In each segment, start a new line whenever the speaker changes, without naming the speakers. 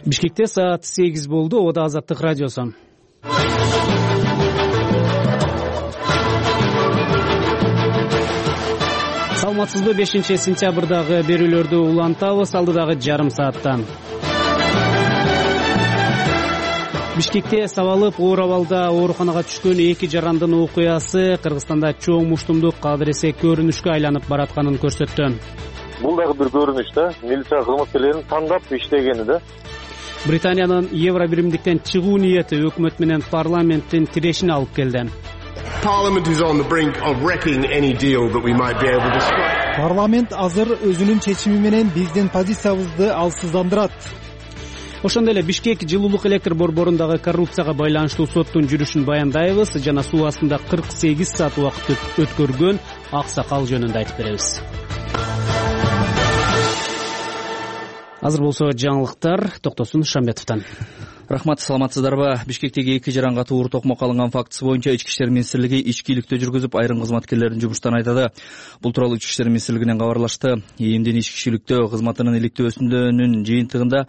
Бишкекте саат 8 болду. Ода Азаттык радиосу. Саламатсызбы? 5-сентябрдагы берүүлөрдү улантабыз алдыдагы жарым сааттан. Бишкекте сабалып оор абалда ооруканага түшкөн 2 жарандын окуясы Кыргызстанда чоң муштумдук кадыресе көрүнүшкө айланып баратканын көрсөттү.
Бул дагы бир көрүнүш да, милиция кызматкерлеринин тандап иштегени да.
Британиянын Евро биримдиктен чыгуу ниети өкмөт менен парламенттин тирешине алып келди.
Парламент азыр өзүнүн чечими менен биздин позициябызды алсыздандырат.
Ошондой эле Бишкек жылуулук электр борборундагы коррупцияга байланыштуу соттун жүрүшүн баяндайбыз жана суу астында 48 саат убакыт өткөргөн аксакал жөнүндө айтып беребиз. Азыр болсо жаңылыктар Токтосун Шамбетовдон.
Рахмат, саламатсыздарбы? Бишкектеги 2 жаран катуу оор токмокко алынган фактысы боюнча Ички иштер министрлиги ичкиликтөө жүргүзүп, айрым кызматкерлердин жумуштан айдады. Бул тууралуу Ички иштер министрлигинен кабарлашты. ИИМдин ичкиликтөө кызматынын иликтөөсүнүн жыйынтыгында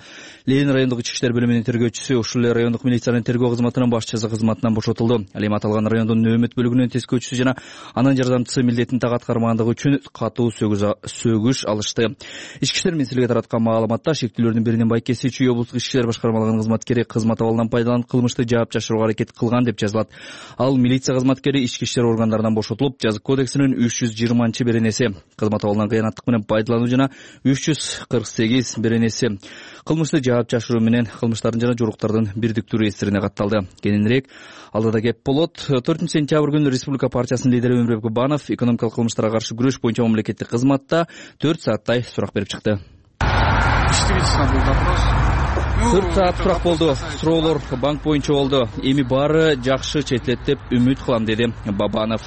Ленин райондук ички иштер бөлүмүнүн тергөөчүсү, ушул эле райондук милициянын тергөө кызматынын башчысы кызматынан бошотулду. Ал эми аталган райондун нөөмөт бөлүгүнүн тескөөчүсү жана анын жардамчысы милдетин так аткармагандыгы үчүн катуу сөгүш алышты. Ички иштер министрлиги тараткан маалыматта шектүүлөрдүн биринин байкеси Чүй облустук ички иштер башкармалыгынын кызматкери кызмат абалынан пайдаланып кылмышты жаап жашырууга аракет кылган деп жазылат. Ал милиция кызматкери ички иштер органдарынан бошотулуп, жазык кодексинин 320 беренеси кызмат абалынан кыянаттык менен пайдалануу жана 348 беренеси кылмышты жаап жашыруу менен кылмыштардын жана жоруктардын бирдиктүү реестрине катталды. Кененирээк алдыда кеп болот. 4-сентябрь күнү Республика партиясынын лидери Өмүрбек Бабанов экономикалык кылмыштарга каршы күрөш боюнча мамлекеттик кызматта 4 сааттай сурак берип чыкты. 4 саат сурак болду. Суроолор банк боюнча болду. Эми баары жакшы четилет деп үмүт кылам, деди Бабанов.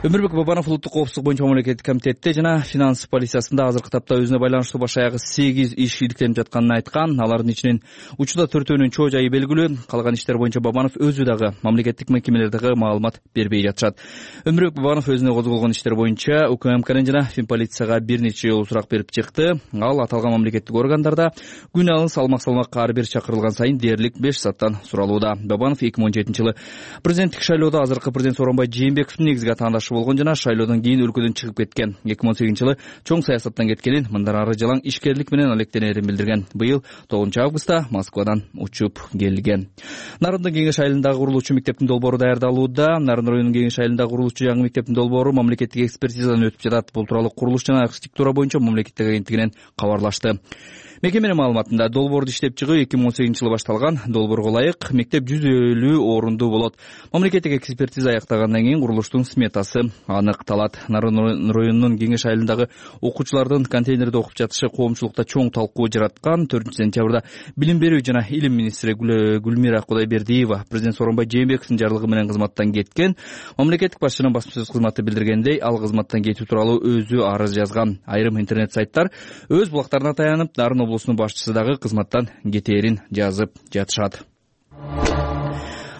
Өмүрбек Бабанов улуттук коопсуздук боюнча мамлекеттик комитетте жана финанс полициясында азыркы тапта өзүнө байланыштуу баш аягы 8 иш иликтенип жатканын айткан. Алардын ичинен учурда 4-өөнүн чоо жайы белгилүү. Калган иштер боюнча Бабанов өзү дагы мамлекеттик мекемелердеги маалымат бербей жатышат. Өмүрбек Бабанов өзүнө козголгон иштер боюнча УКМКнын жана Финполицияга бир нече жолу сурак берип чыкты. Ал аталган мамлекеттик органдарда күн алын салмак ар бир чакырылган сайын дээрлик 5 сааттан суралууда. Бабанов 2017-жылы президенттик шайлоодо азыркы президент Сооронбай Жээнбековдун негизги атаандашы болгон жана шайлоодон кийин өлкөдөн чыгып кеткен. 2018-жылы чоң саясаттан кеткенин, мындан ары жалаң ишкерлик менен алектенерин билдирген. Быйыл 9-августта Москвадан учуп келген. Нарындын кеңеш айылындагы курулуучу мектептин долбоору даярдалууда. Нарын районунун кеңеш айылындагы курулуучу жаңы мектептин долбоору мамлекеттик экспертизадан өтүп жатат. Бул тууралуу курулуш жана архитектура боюнча мамлекеттик агенттигинен кабарлашты. Мекеменин маалыматында долбоорду иштеп чыгуу 2018-жылы башталган. Долбоорго ылайык мектеп 150 орунду болот. Мамлекеттик экспертиза аяктагандан кийин курулуштун сметасы аныкталат. Нарын районунун кеңеш айылындагы окуучулардын контейнерде окуп жатышы коомчулукта чоң талкуу жараткан. 4-сентябрда билим берүү жана илим министри Гүлмира Кудайбердиева президент Сооронбай Жээнбековдун жарлыгы менен кызматтан кеткен. Мамлекеттик башчынын басма сөз кызматы билдиргендей, ал кызматтан кетүү тууралуу өзү арыз жазган. Айрым интернет сайттар өз блогтарына таянып, Нарын облусунун башчысы дагы кызматтан кетээрин жазып жатышат.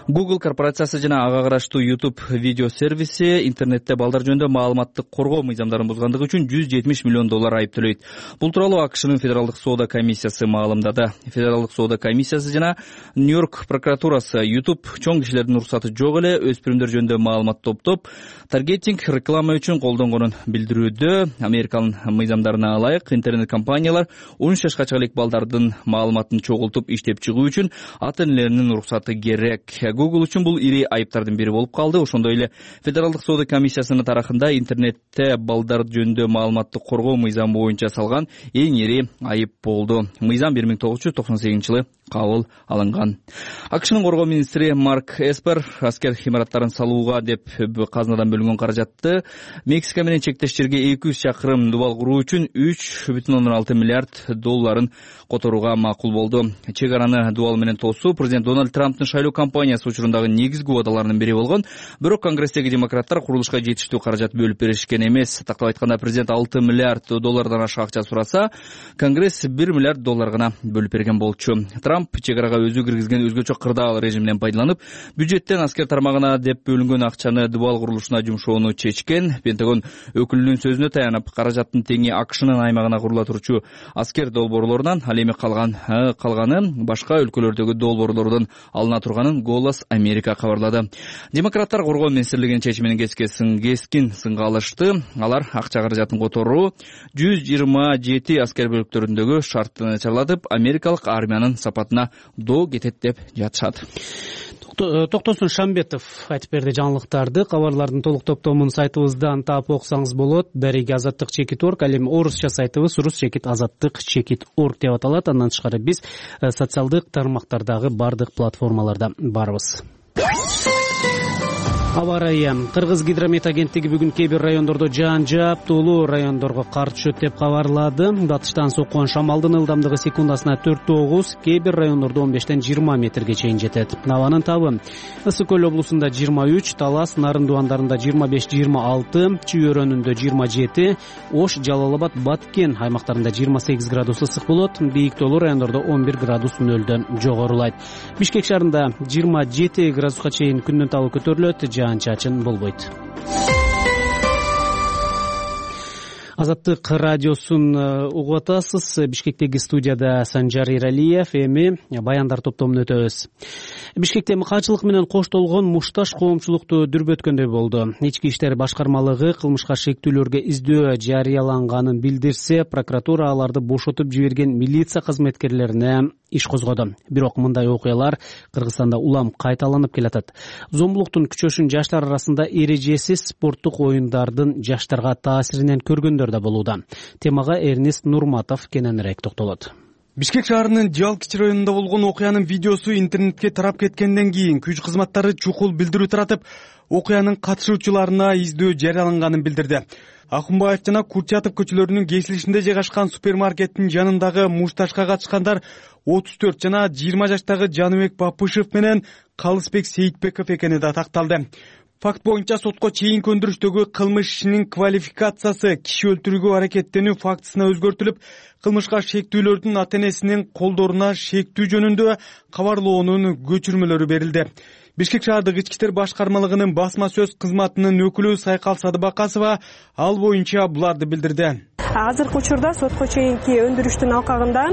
Google корпорациясы жана ага караштуу YouTube видео сервиси интернетте балдар жөнүндө маалыматтык коргоо мыйзамдарын бузгандыгы үчүн $170 миллион айып төлөйт. Бул тууралуу АКШнын Федералдык соода комиссиясы маалымдады. Федералдык соода комиссиясы жана Нью-Йорк прокуратурасы YouTube чоң кишилердин уруксаты жок эле өспүрүмдөр жөнүндө маалымат топтоп, таргетинг реклама үчүн колдонгонун билдирүүдө. Американын мыйзамдарына ылайык интернет компаниялар 13 жашка чейин балдардын маалыматын чогултуп иштеп чыгуу үчүн ата-энелеринин уруксаты керек. Google үчүн бул ири айыптардын бири болуп калды. Ошондой эле Федералдык соода комиссиясынын тарыхында интернетте балдар жөнүндө маалыматты коргоо мыйзамы боюнча салган эң ири айып болду. Мыйзам 1998-жылы кабыл алынган. АКШнын коргоо министри Марк Эспер аскер имараттарын салууга деп казынадан бөлүнгөн каражатты Мексика менен чектеш жерге 200 чакырым дубал куруу үчүн $3,6 миллиард которууга макул болду. Чек араны дубал менен тосуу президент Дональд Трамптын шайлоо кампаниясы акциясы учурундагы негизги убадаларынын бири болгон. Бирок Конгресстеги демократтар курулушка жетиштүү каражат бөлүп беришкен эмес. Тактап айтканда, президент $6 миллиард ашык акча сураса, Конгресс $1 миллиард гана бөлүп берген болчу. Трамп чек арага өзү киргизген өзгөчө кырдаал режиминен пайдаланып, бюджеттен аскер тармагына деп бөлүнгөн акчаны дубал курулушуна жумшоону чечкен. Пентагон өкүлүнүн сөзүнө таянып, каражаттын теңи АКШнын аймагына курула турчу аскер долбоорлорунан, ал эми калганы башка өлкөлөрдөгү долбоорлордон алына турганын Голос Америка кабарлады. Демократтар коргоо министрлигинин чечиминин кескин сынга алышты. Алар акча каражатын которуу 127 аскер бөлүктөрүндөгү шартты начарлатып, америкалык армиянын сапатына доо кетет деп жатышат.
Токтосун Шамбетов айтып берди жаңылыктарды. Кабарлардын толук топтомун сайтыбыздан таап окусаңыз болот. Дареги Азаттык.org, ал эми орусча сайтыбыз Ruschekit.Azаттык.org деп аталат. Андан тышкары биз социалдык тармактардагы бардык платформаларда барбыз. Аба ырайы. Кыргыз гидромет агенттиги бүгүн кээ бир райондордо жаан жаап, тоолуу райондорго кар түшөт деп кабарлады. Батыштан соккон шамалдын ылдамдыгы секундасына 4-9, кээ бир райондордо 15-20 метрге чейин жетет. Абанын табы Ысык Көл облусунда 23, Талас, Нарын дуандарында 25-26, Чүй өрөөнүндө 27, Ош, Жалал Абад, Баткен аймактарында 28 градус ысык болот. Бийик тоолуу райондордо 11 градус нөлдөн жогорулайт. Бишкек шаарында 27 градуска чейин күндүн табы көтөрүлөт. Чачын болбойт. Азаттык радиосун угуп атасыз. Бишкектеги студияда Санжар Иралиев. Эми баяндар топтомун өтөбүз. Бишкекте мыкаачылык менен коштолгон мушташ коомчулукту дүрбөткөндөй болду. Ички иштер башкармалыгы кылмышка шектүүлөргө издөө жарыяланганын билдирсе, прокуратура аларды бошотуп жиберген милиция кызметкерлерине иш козгоду. Бирок мындай окуялар Кыргызстанда улам кайталанып келатат. Зомбулуктун күчөшүн жаштар арасында эрежесиз спорттук оюндардын жаштарга таасиринен көргөндөр да болууда. Темага Эрнест Нурматов кененирээк токтолот.
Бишкек шаарынын Жалкич районунда болгон окуянын видеосу интернетке тарап кеткенден кийин күч кызматтары чукул билдирүү таратып, окуянын катышуучуларына издөө жарыяланганын билдирди. Акунбаев жана Курчатов көчөлөрүнүн кесилишинде жайгашкан супермаркеттин жанындагы мушташка катышкандар 34 жана 20 жаштагы Жаныбек Бапышев менен Калысбек Сейитбеков экени да такталды. Факт боюнча сотко чейинки өндүрүштөгү кылмыш ишинин квалификациясы киши өлтүрүүгө аракеттенүү фактысына өзгөртүлүп, кылмышка шектүүлөрдүн ата-энесинин колдоруна шектүү жөнүндө кабарлоонун көчүрмөлөрү берилди. Бишкек шаардык ички иштер башкармалыгынын басма сөз кызматынын өкүлү Сайкал Садыбакасова ал боюнча буларды билдирди.
Азыркы учурда сотко чейинки өндүрүштүн алкагында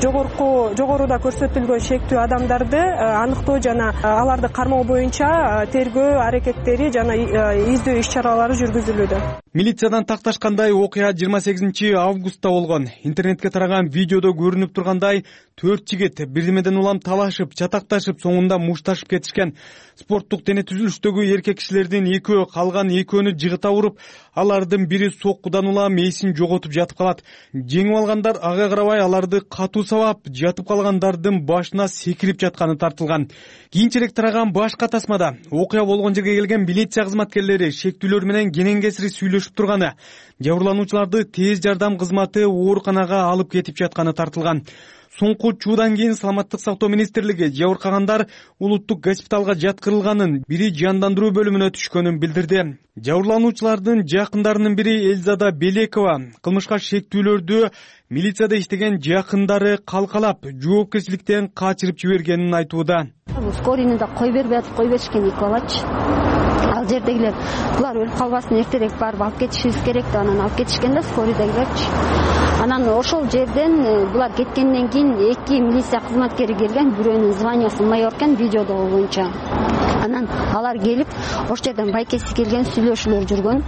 жогоруда көрсөтүлгөн шектүү адамдарды аныктоо жана аларды кармоо боюнча тергөө аракеттери жана издөө иш чаралары жүргүзүлүүдө.
Милициядан такташкандай окуя 28 августта болгон. Интернетке тараган видеодо көрүнүп тургандай 4 жигит бирдемеден улам талашып, чатакташып, соңунда мушташып кетишкен. Спорттук дене түзүлүштөгү эркек кишилердин экөө, калган экөөнү жыгыта уруп, алардын бири соккудан улам эсин жоготуп жатып калат. Жеңип алгандар ага карабай аларды катуу сабап, жатып калгандардын башына секирип жатканы тартылган. Кийинчерээк тараган башка тасмада окуя болгон жерге келген милиция кызматкерлери шектүүлөр менен кенен-кесири сүйлөшүп турганы, жабырлануучуларды тез жардам кызматы ооруканага алып кетип жатканы тартылган. Соңку чуудан кийин Саламаттык сактоо министрлиги жабыркагандар улуттук госпиталга жаткырылганын, бири жандандыруу бөлүмүнө түшкөнүн билдирди. Жабырлануучулардын жакындарынын бири Эльзада Белекова кылмышка шектүүлөрдү милицияда иштеген жакындары калкалап, жоопкерчиликтен качырып жибергенин айтууда.
Скорыйны да кой беришкен 2 балачы. Ал жердегилер булар өлүп калбасын, эртерээк барып алып кетишибиз керек деп анан алып кетишкен да скорыйдагилерчи. Анан ошол жерден булар кеткенден кийин 2 милиция кызматкери келген, бирөөнүн званиясы майор экен видеодо боюнча. Анан алар келип, ошол жерден байкеси келген, сүйлөшүүлөр жүргөн,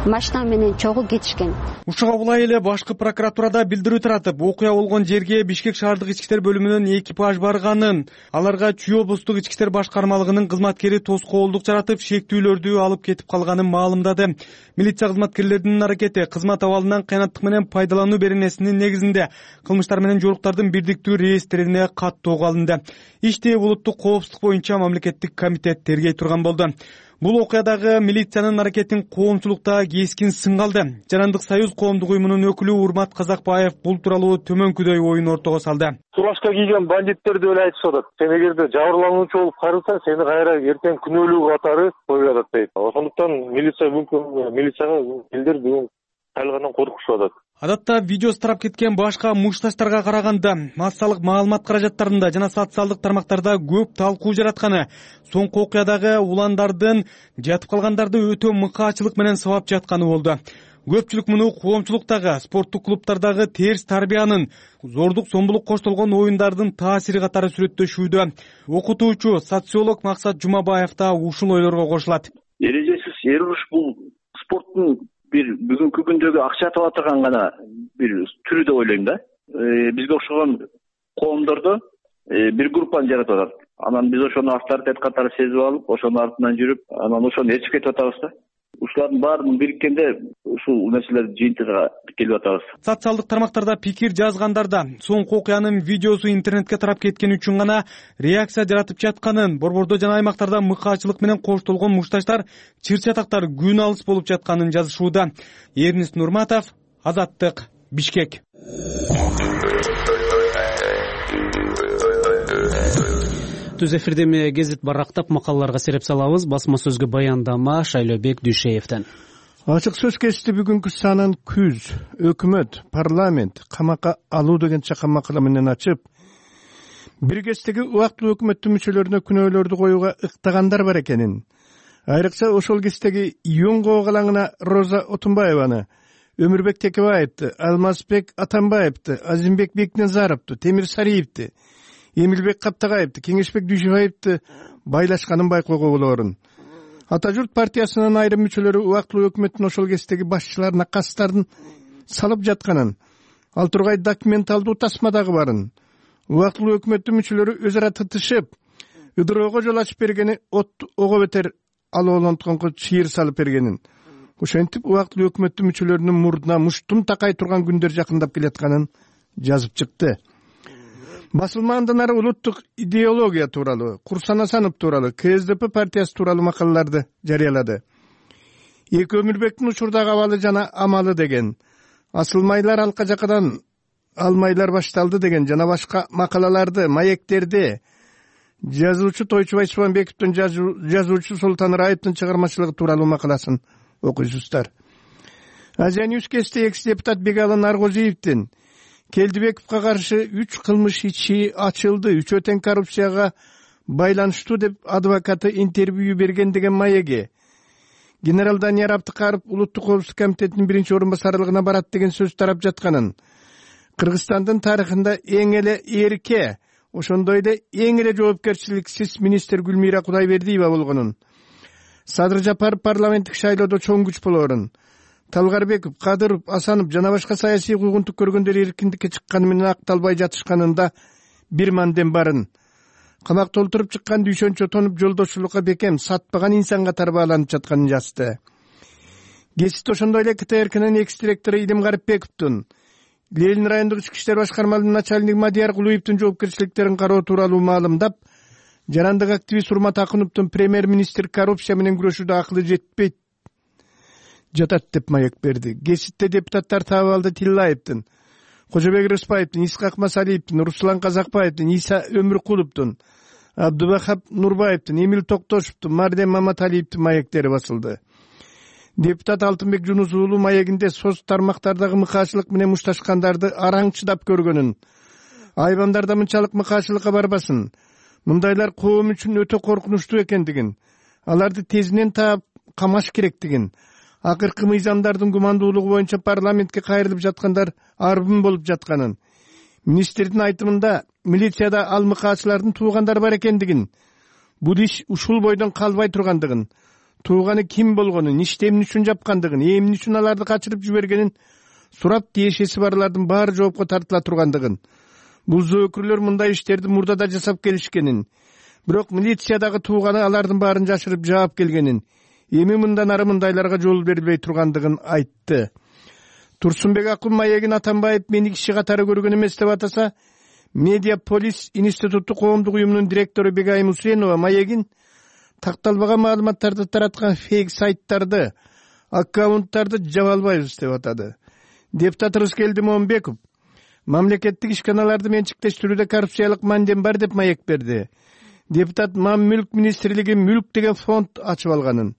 машина менен чогуу кетишкен.
Ушуга булай эле башкы прокуратурада билдирүү таратып, окуя болгон жерге Бишкек шаардык ички иштер бөлүмүнүн экипаж барганын, аларга Чүй облустук ички иштер башкармалыгынын кызматкери тоскоолдук жаратып, шектүүлөрдү алып кетип калганын маалымдады. Милиция кызматкерлеринин аракети кызмат абалынан кыянаттык менен пайдалануу беренесинин негизинде кылмыштар менен жоруктардын бирдиктүү реестрине каттоого алынды. Ишти улуттук коопсуздук боюнча мамлекеттик комитет тергей турган болду. Бул окуядагы милициянын аракетин коомчулукта кескин сынга алды. Жарандык союз коомдук уюмунун өкүлү Урмат Казакбаев бул тууралуу төмөнкүдөй оюн ортого салды.
Фуражка кийген бандиттер деп эле айтышып атат. Сен эгерде жабырлануучу болуп карылсаң, сени кайра эртең күнөөлүү катары коюп атат дейт. Ошондуктан милицияга элдер бүгүн кайрадан коркушуп атат.
Адатта видеосу тарап кеткен башка мушташтарга караганда массалык маалымат каражаттарында жана социалдык тармактарда көп талкуу жаратканы, соңку окуядагы уландардын жатып калгандарды өтө мыкаачылык менен сабап жатканы болду. Көпчүлүк муну коомчулуктагы, спорттук клубтардагы терс тарбиянын, зордук зомбулук коштолгон оюндардын таасири катары сүрөттөшүүдө. Окутуучу, социолог Максат Жумабаев да ушул ойлорго кошулат.
Эрежесиз эруш бул спорттун бир бүгүнкү күндөгү акча таба турган гана бир түрү деп ойлойм да. Бизге окшогон коомдордо бир группаны жаратып атат. Анан биз ошону авторитет катары сезип алып, ошонун артынан жүрүп, анан ошону ээрчип кетип атабыз да. Ушулардын баарын бириккенде ушул нерселер жыйынтыгына келип атабыз.
Социалдык тармактарда пикир жазгандарда соңку окуянын видеосу интернетке тарап кеткени үчүн гана реакция жаратып жатканын, борбордо жана аймактарда мыкаачылык менен коштолгон мушташтар, чыр-чатактар күн алыс болуп жатканын жазышууда. Эрнис Нурматов, Азаттык, Бишкек.
Түз эфирдеме гезит барактап макалаларга сереп салабыз. Басма сөзгө баяндама Шайлообек Дүйшеевден.
Ачык сөз кечти бүгүнкү санын күз, өкмөт, парламент камакка алуу деген чакан макала менен ачып, бир кездеги убактылуу өкмөттүн мүчөлөрүнө күнөөлөрдү коюуга ыктагандар бар экенин, айрыкча ошол кездеги Юнгоо калаңына Роза Отунбаеваны, Өмүрбек Текебаевди, Алмазбек Атамбаевди, Азимбек Бекназаровду, Темир Сариевди, Эмилбек Каптагаевди, Кеңешбек Дүйшөбаевди байлашканын байкоого болорун. Ата журт партиясынын айрым мүчөлөрү убактылуу өкмөттүн ошол кездеги башчыларына кастарын салып жатканын, ал тургай документалдуу тасма дагы барын. Убактылуу өкмөттүн мүчөлөрү өз ара тытышып, ыдыроого жол ачып бергени ого бетер алоолонтконго чыйыр салып бергенин. Ошентип убактылуу өкмөттүн мүчөлөрүнүн мурдуна муштум такай турган күндөр жакындап келатканын жазып чыкты. Басылмаандан ары улуттук идеология тууралуу, Курсан Асанов тууралуу, КСДП партиясы тууралуу макалаларды жарыялады. Эки Өмүрбектин учурдагы абалы жана амалы деген, асылмайлар алка жакадан алмайлар башталды деген жана башка макалаларды, маектерди жазуучу Тойчубай Чубанбековдун жазуучу Султан Раевдин чыгармачылыгы тууралуу макаласын окуйсуздар. Азия Ньюс кесте экс-депутат Бегалы Наргозиевдин Келдибековго каршы 3 кылмыш ичи ачылды, 3 тең коррупцияга байланыштуу деп адвокаты интервью берген деген маеги. Генерал Данияр Абдыкаров улуттук коопсуздук комитетинин биринчи орун басарлыгына барат деген сөз тарап жатканын, Кыргызстандын тарыхында эң эле эрке, ошондой эле эң эле жоопкерчиликсиз министр Гүлмира Кудайбердиева болгонун, Садыр Жапаров парламенттик шайлоодо чоң күч болорун, Талгарбеков, Кадыров, Асанов жана башка саясий куугунтук көргөндөр эркиндикке чыкканы менен акталбай жатышканында бир мандем барын. Камакта олтуруп чыккан дүйшөнчө тонуп жолдошчулукка бекем, сатпаган инсан катары бааланып жатканын жазды. Гезит ошондой эле КТРКнын экс-директору Илим Гарипбековдун, Ленин райондук ички иштер башкармалыгынын начальниги Мадияр Кулуевдин жоопкерчиликтерин кароо тууралуу маалымдап, жарандык активист Урмат Акуновдун премьер-министр коррупция менен күрөшүүдө акылы жетпейт жатат деп маек берди. Гезитте депутаттар Табалды Тиллаевдин, Кожобек Рыспаевдин, Исхак Масалиевдин, Руслан Казакбаевдин, Иса Өмүркуловдун, Абдубахап Нурбаевдин, Эмил Токтошевдун, Мардем Маматалиевдин маектери басылды. Депутат Алтынбек Жунус уулу маегинде соц тармактардагы мыкаачылык менен мушташкандарды араң чыдап көргөнүн, айбандарда мынчалык мыкаачылыкка барбасын, мындайлар коом үчүн өтө коркунучтуу экендигин, аларды тезинен таап камаш керектигин, акыркы мыйзамдардын гумандуулугу боюнча парламентке кайрылып жаткандар арбын болуп жатканын, министрдин айтымында милицияда ал мыкаачылардын туугандары бар экендигин, бул иш ушул бойдон калбай тургандыгын, тууганы ким болгонун, ишти эмне үчүн жапкандыгын, эмне үчүн аларды качырып жибергенин сурап тиешеси барлардын баары жоопко тартыла тургандыгын, бул зөөкүрлөр мындай иштерди мурда да жасап келишкенин, бирок милициядагы тууганы алардын баарын жашырып жаап келгенин, эми мындан ары мындайларга жол берилбей тургандыгын айтты. Турсунбек Акун маегин Атамбаев мени киши катары көргөн эмес деп атаса, Медиаполис институттук коомдук уюмунун директору Бегайым Усенова маегин такталбаган маалыматтарды тараткан фейк сайттарды, аккаунттарды жаба албайбыз деп атады. Депутат Рыскелди Момбеков мамлекеттик ишканаларды менчиктештирүүдө коррупциялык мандем бар деп маек берди. Депутат Мам-мүлк министрлиги мүлк деген фонд ачып алганын,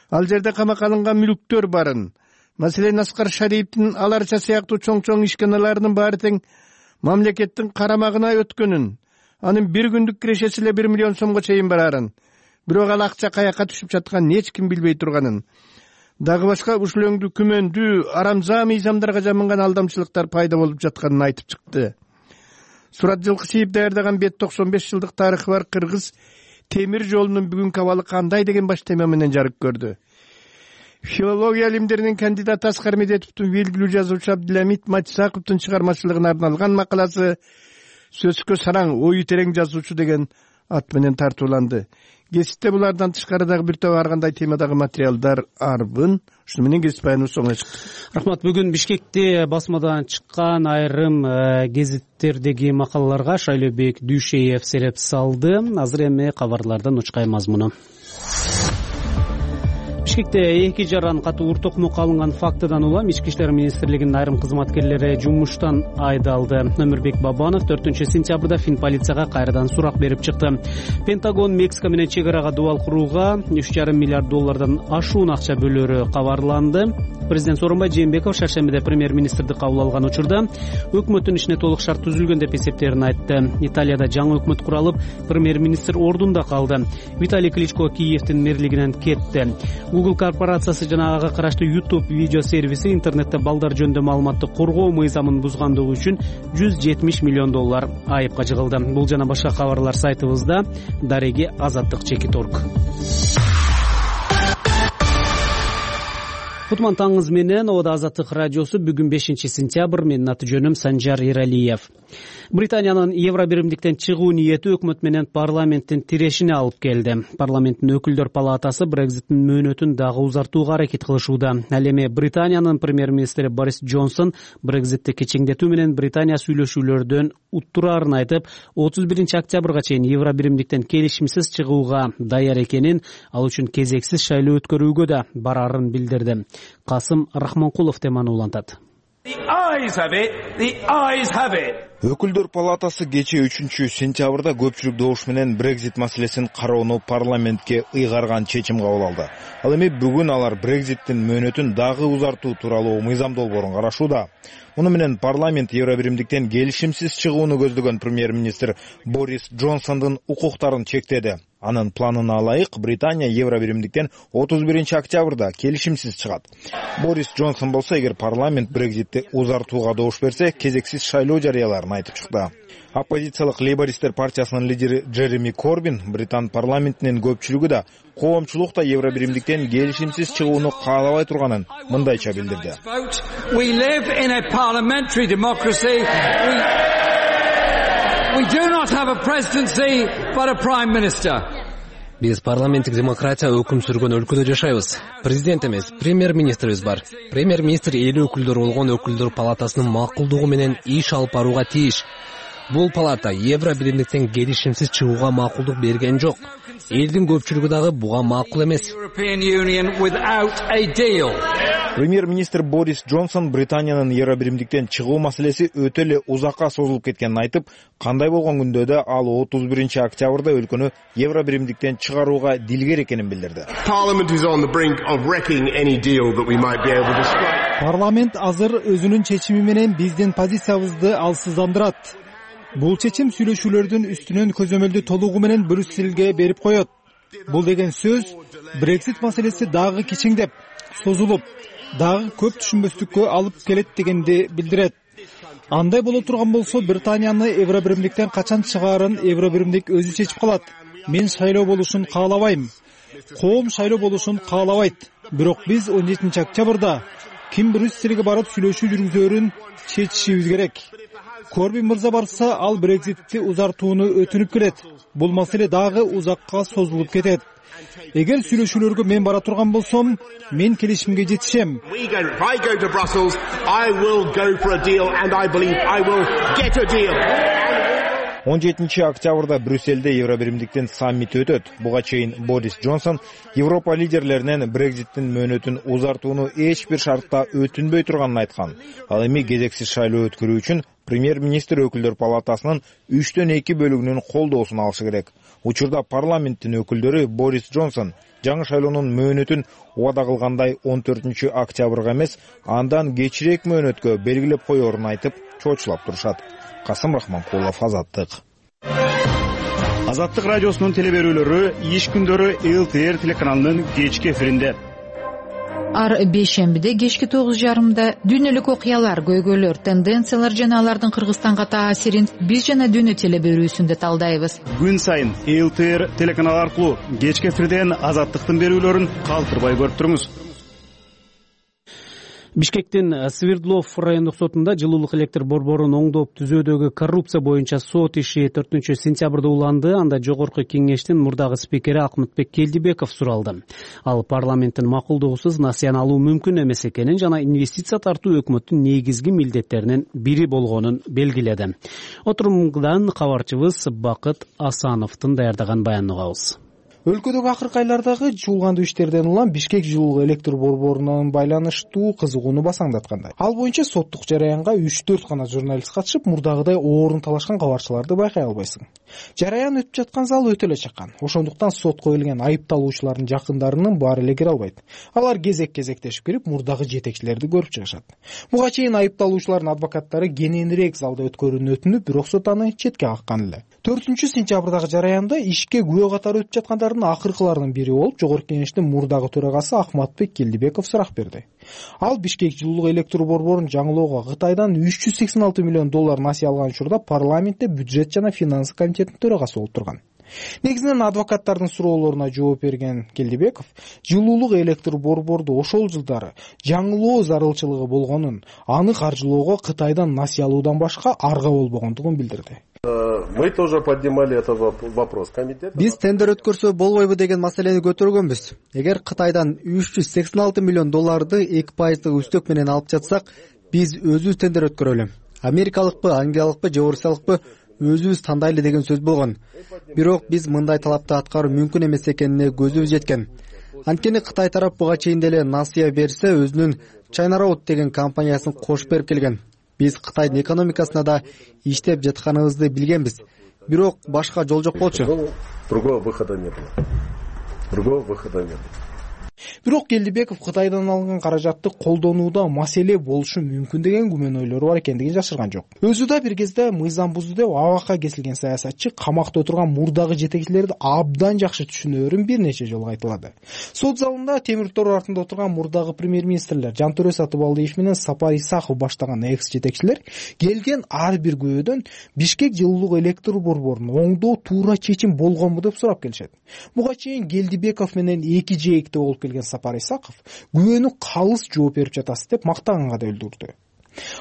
ал жерде камакка алынган мүлктөр барын, маселен Аскар Шариповдун аларча сыяктуу чоң ишканаларынын баары тең мамлекеттин карамагына өткөнүн, анын бир күндүк кирешеси эле 1 миллион сомго чейин барарын, бирок ал акча каяка түшүп жатканын эч ким билбей турганын, дагы башка ушул өңдүү күмөндүү арамза мыйзамдарга жамынган алдамчылыктар пайда болуп жатканын айтып чыкты. Сурат Жылкышиев даярдаган бет 95 жылдык тарыхы бар Кыргыз темир жолунун бүгүнкү абалы кандай деген баш тема менен жарык көрдү. Филология илимдеринин кандидаты Аскар Медетовдун белгилүү жазуучу Абдыламит Матисаковдун чыгармачылыгына арналган макаласы сөзгө сараң, ою терең жазуучу деген ат менен тартууланды. Кесипте булардан тышкары дагы бир топ ар кандай темадагы материалдар арбын. Ушуну менен кесип баяныбыз соңуна чыкты.
Рахмат. Бүгүн Бишкекте басмадан чыккан айрым гезиттердеги макалаларга Шайлообек Дүйшеев сереп салды. Азыр эми кабарлардан учкай мазмуну. Бишкекте 2 жаран катуу ур токмок алынган фактыдан улам Ички иштер министрлигинин айрым кызматкерлери жумуштан айдалды. Өмүрбек Бабанов 4-сентябрда Фин полицияга кайрадан сурак берип чыкты. Пентагон Мексика менен чек арага дубал курууга $3,5 миллиард ашуун акча бөлөрү кабарланды. Президент Сооронбай Жээнбеков шаршембиде премьер-министрди кабыл алган учурда өкмөттүн ишине толук шарт түзүлгөн деп эсептерин айтты. Италияда жаңы өкмөт куралып, премьер-министр ордунда калды. Виталий Кличко Киевдин мэрлигинен кетти. Google корпорациясы жана ага караштуу YouTube видео сервиси интернетте балдар жөнүндө маалыматты коргоо мыйзамын бузгандыгы үчүн $170 миллион айыпка жыгылды. Бул жана башка кабарлар сайтыбызда. Дареги Азаттык Чекиторг. Кутман таңыңыз менен Ода Азаттык радиосу бүгүн 5-сентябрь. Менин аты жөнүм Санжар Иралиев. Британиянын Евробиримдиктен чыгуу ниети өкмөт менен парламенттин тирешине алып келди. Парламенттин өкүлдөр палатасы Брекзиттин мөөнөтүн дагы узартууга аракет кылышууда. Ал эми Британиянын премьер-министри Борис Джонсон Брекзитти кечеңдетүү менен Британия сүйлөшүүлөрдөн уттураарын айтып, 31-октябрга чейин Евробиримдиктен келишимсиз чыгууга даяр экенин, ал үчүн кезексиз шайлоо өткөрүүгө да барарын билдирди. Касым Рахманкулов теманы улантат.
Өкүлдөр палатасы кечээ 3-сентябрда көпчүлүк добуш менен Брекзит маселесин кароону парламентке ыйгарган чечим кабыл алды. Ал эми бүгүн алар Брекзиттин мөөнөтүн дагы узартуу тууралуу мыйзам долбоорун карашууда. Муну менен парламент Евробиримдиктен келишимсиз чыгууну көздөгөн премьер-министр Борис Джонсондун укуктарын чектеди. Анын планына ылайык Британия Евробиримдиктен 31-октябрда келишимсиз чыгат. Борис Джонсон болсо, эгер парламент Брекзитти узартууга добуш берсе, кезексиз шайлоо жарыяларын айтып чыкты. Оппозициялык лейбористтер партиясынын лидери Джереми Корбин Британ парламентинин көпчүлүгү да коомчулук да Евробиримдиктен келишимсиз чыгууну каалабай турганын мындайча билдирди.
We do not have a presidency, but a prime minister.
Биз парламенттик демократия өкүм сүргөн өлкөдө жашайбыз. Президент эмес, премьер-министрибиз бар. Премьер-министр эли өкүлдөр болгон өкүлдөр палатасынын макулдугу менен иш алып барууга тийиш. Бул палата Евробиримдиктен келишимсиз чыгууга макулдук берген жок. Элдин көпчүлүгү дагы буга макул эмес.
Премьер-министр Борис Джонсон Британиянын Евробиримдиктен чыгуу маселеси өтө эле узакка созулуп кеткенин айтып, кандай болгон күндө да ал 31-октябрда өлкөнү Евробиримдиктен чыгарууга дилгер экенин билдирди.
Парламент азыр өзүнүн чечими менен биздин позициябызды алсыздандырат. Бул чечим сүйлөшүүлөрдүн үстүнөн көзөмөлдү толугу менен Брюсселге берип коет. Бул деген сөз Брексит маселеси дагы кичиңдеп, созулуп, дагы көп түшүнбөстүккө алып келет дегенди билдирет. Андай боло турган болсо, Британияны Евробиримдиктен качан чыгаарын Евробиримдик өзү чечип калат. Мен шайлоо болушун каалабайм. Коом шайлоо болушун каалабайт. Бирок биз 17-октябрда ким Брюсселге барып сүйлөшүү жүргүзөрүн чечишибиз керек. Корбин мырза барса, ал Брекситти узартууну өтүнүп келет. Бул маселе дагы узакка созулуп кетет. Эгер сүйлөшүүлөргө мен бара турган болсом, мен келишимге жетишем.
17 октябрда Брюссельде Евробиримдиктин саммити өтөт. Буга чейин Борис Джонсон Европа лидерлеринен Брекзиттин мөөнөтүн узартууну эч бир шартта өтүнбөй турганын айткан. Ал эми кезексиз шайлоо өткөрүү үчүн премьер-министр өкүлдөр палатасынын 3/2 бөлүгүнүн колдоосун алышы керек. Учурда парламенттин өкүлдөрү Борис Джонсон жаңы шайлоонун мөөнөтүн убада кылгандай 14 октябрга эмес, андан кечирээк мөөнөткө белгилеп коерун айтып, чоочулап турушат. Касым Рахманкулов, Азаттык.
Азаттык радиосунун телеберүүлөрү иш күндөрү ЛТР телеканалынын кечки эфиринде.
Ар бейшембиде кечки 9:30 дүйнөлүк окуялар, көйгөйлөр, тенденциялар жана алардын Кыргызстанга таасирин биз жана дүйнө телеберүүсүндө талдайбыз.
Күн сайын ЛТР телеканалы аркылуу кечки эфирден Азаттыктын берүүлөрүн калтырбай көрүп туруңуз.
Бишкектин Свердлов райондук сотунда жылуулук электр борборун оңдоп түзөөдөгү коррупция боюнча сот иши 4-сентябрда уланды. Анда жогорку кеңештин мурдагы спикери Акмытбек Келдибеков суралды. Ал парламенттин макулдугусуз насыян алуу мүмкүн эмес экенин жана инвестиция тартуу өкмөттүн негизги милдеттеринин бири болгонун белгиледи. Отурумдан кабарчыбыз Бакыт Асановдун даярдаган баянын угабыз.
Өлкөдөгү акыркы айлардагы чуулгандуу иштерден улам Бишкек жылуулук электр борборунун байланыштуу кызыгууну басаңдаткандай. Ал боюнча соттук жараянга 3-4 гана журналист катышып, мурдагыдай оорун талашкан кабарчыларды байкай албайсың. Жараян өтүп жаткан зал өтө эле чакан. Ошондуктан сотко келген айыпталуучулардын жакындарынын баары эле кире албайт. Алар кезек-кезектешип кирип, мурдагы жетекчилерди көрүп чыгышат. Буга чейин айыпталуучулардын адвокаттары кененирээк залда өткөрүүнү өтүнүп, бирок сот аны четке каккан эле. 4-сентябрдагы жараянда ишке күбө катары өтүп жаткандардын акыркыларынын бири болуп, жогорку кеңештин мурдагы төрагасы Акматбек Келдибеков сурак берди. Ал Бишкек жылуулук электр борборун жаңылоого Кытайдан $386 миллион насыя алган учурда парламентте бюджет жана финансы комитетинин төрагасы болуп турган. Негизинен адвокаттардын суроолоруна жооп берген Келдибеков жылуулук электр борборду ошол жылдары жаңылоо зарылчылыгы болгонун, аны каржылоого Кытайдан насыя алуудан башка арга болбогондугун билдирди.
Мы тоже поднимали этот вопрос.
Биз тендер өткөрсө болбойбу деген маселени көтөргөнбүз. Эгер Кытайдан $386 миллион 2% үстөк менен алып жатсак, биз өзүбүз тендер өткөрөлү. Америкалыкпы, англиялыкпы же орусиялыкпы өзүбүз тандайлы деген сөз болгон. Бирок биз мындай талапты аткаруу мүмкүн эмес экенине көзүбүз жеткен. Анткени Кытай тарап буга чейин деле насыя берсе, өзүнүн China Road деген компаниясын кошуп берип келген. Биз Кытайдын экономикасына да иштеп жатканыбызды билгенбиз. Бирок башка жол жок болчу.
Другого выхода не было.
Бирок Келдибеков Кытайдан алган каражатты колдонууда маселе болушу мүмкүн деген күмөн ойлору бар экендигин жашырган жок. Өзү да бир кезде мыйзам бузду деп абакка кесилген саясатчы камакта отурган мурдагы жетекчилерди абдан жакшы түшүнөрүн бир нече жолу айтылады. Сот залында темир тор артында отурган мурдагы премьер-министрлер Жантөре Сатыбалдиев менен Сапар Исаков баштаган экс-жетекчилер келген ар бир күбөдөн Бишкек жылуулук электр борборун оңдоо туура чечим болгонбу деп сурап келишет. Буга чейин Келдибеков менен эки жээкте болуп келген Сапар Исаков күбөнү калыс жооп берип жатасыз деп мактаганга да өлдүрдү.